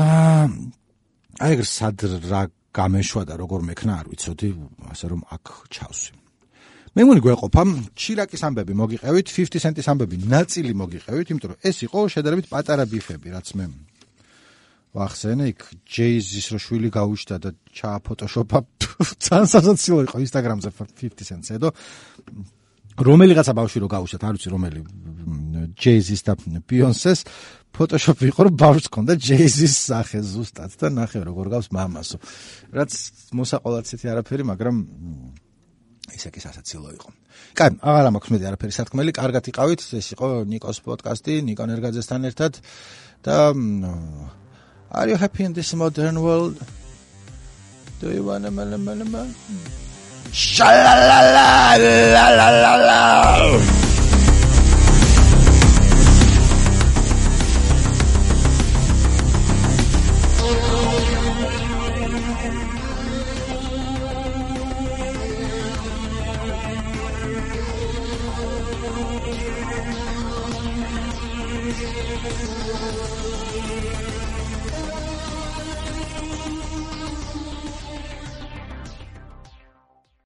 აა აი ეგ სად რა გამეშვა და როგორ მექნა არ ვიცოდი ასე რომ აქ ჩავსვი მე მგონი გვეყოფა ჩირაკის ამბები მოგიყევით, fifty cent-ის ამბები ნაწილი მოგიყევით, იმიტომ რომ ეს იყო შედარებით პატარა ბიფები, რაც მე ვახსენე, იქ Jay-Z-ის რო შვილი გაუჩნდა და ჩააფოტოშოპა, ძალიან სასაცილო იყო Instagram-ზე fifty cent-ზე და რომელიღაცა ბავშვი რო გაუჩნდათ, არ ვიცი რომელი Jay-Z-ის და Beyoncé-ს ფოტოშოპი იყო, რომ ბავშვს ჰქონდა Jay-Z-ის სახე ზუსტად და ნახე როგორ გავს მამასო. რაც მოსაყოლად ცეთი არაფერი, მაგრამ ისე კი სასაცილო იყო. კაი, აღარ მაქვს მეტი არაფერი სათქმელი, კარგად იყავით, ეს იყო ნიკოს პოდკასტი, ნიკო ნერგაძესთან ერთად და Are you happy in this modern world? Do you wanna mala mala mala? Sha la la la la la la la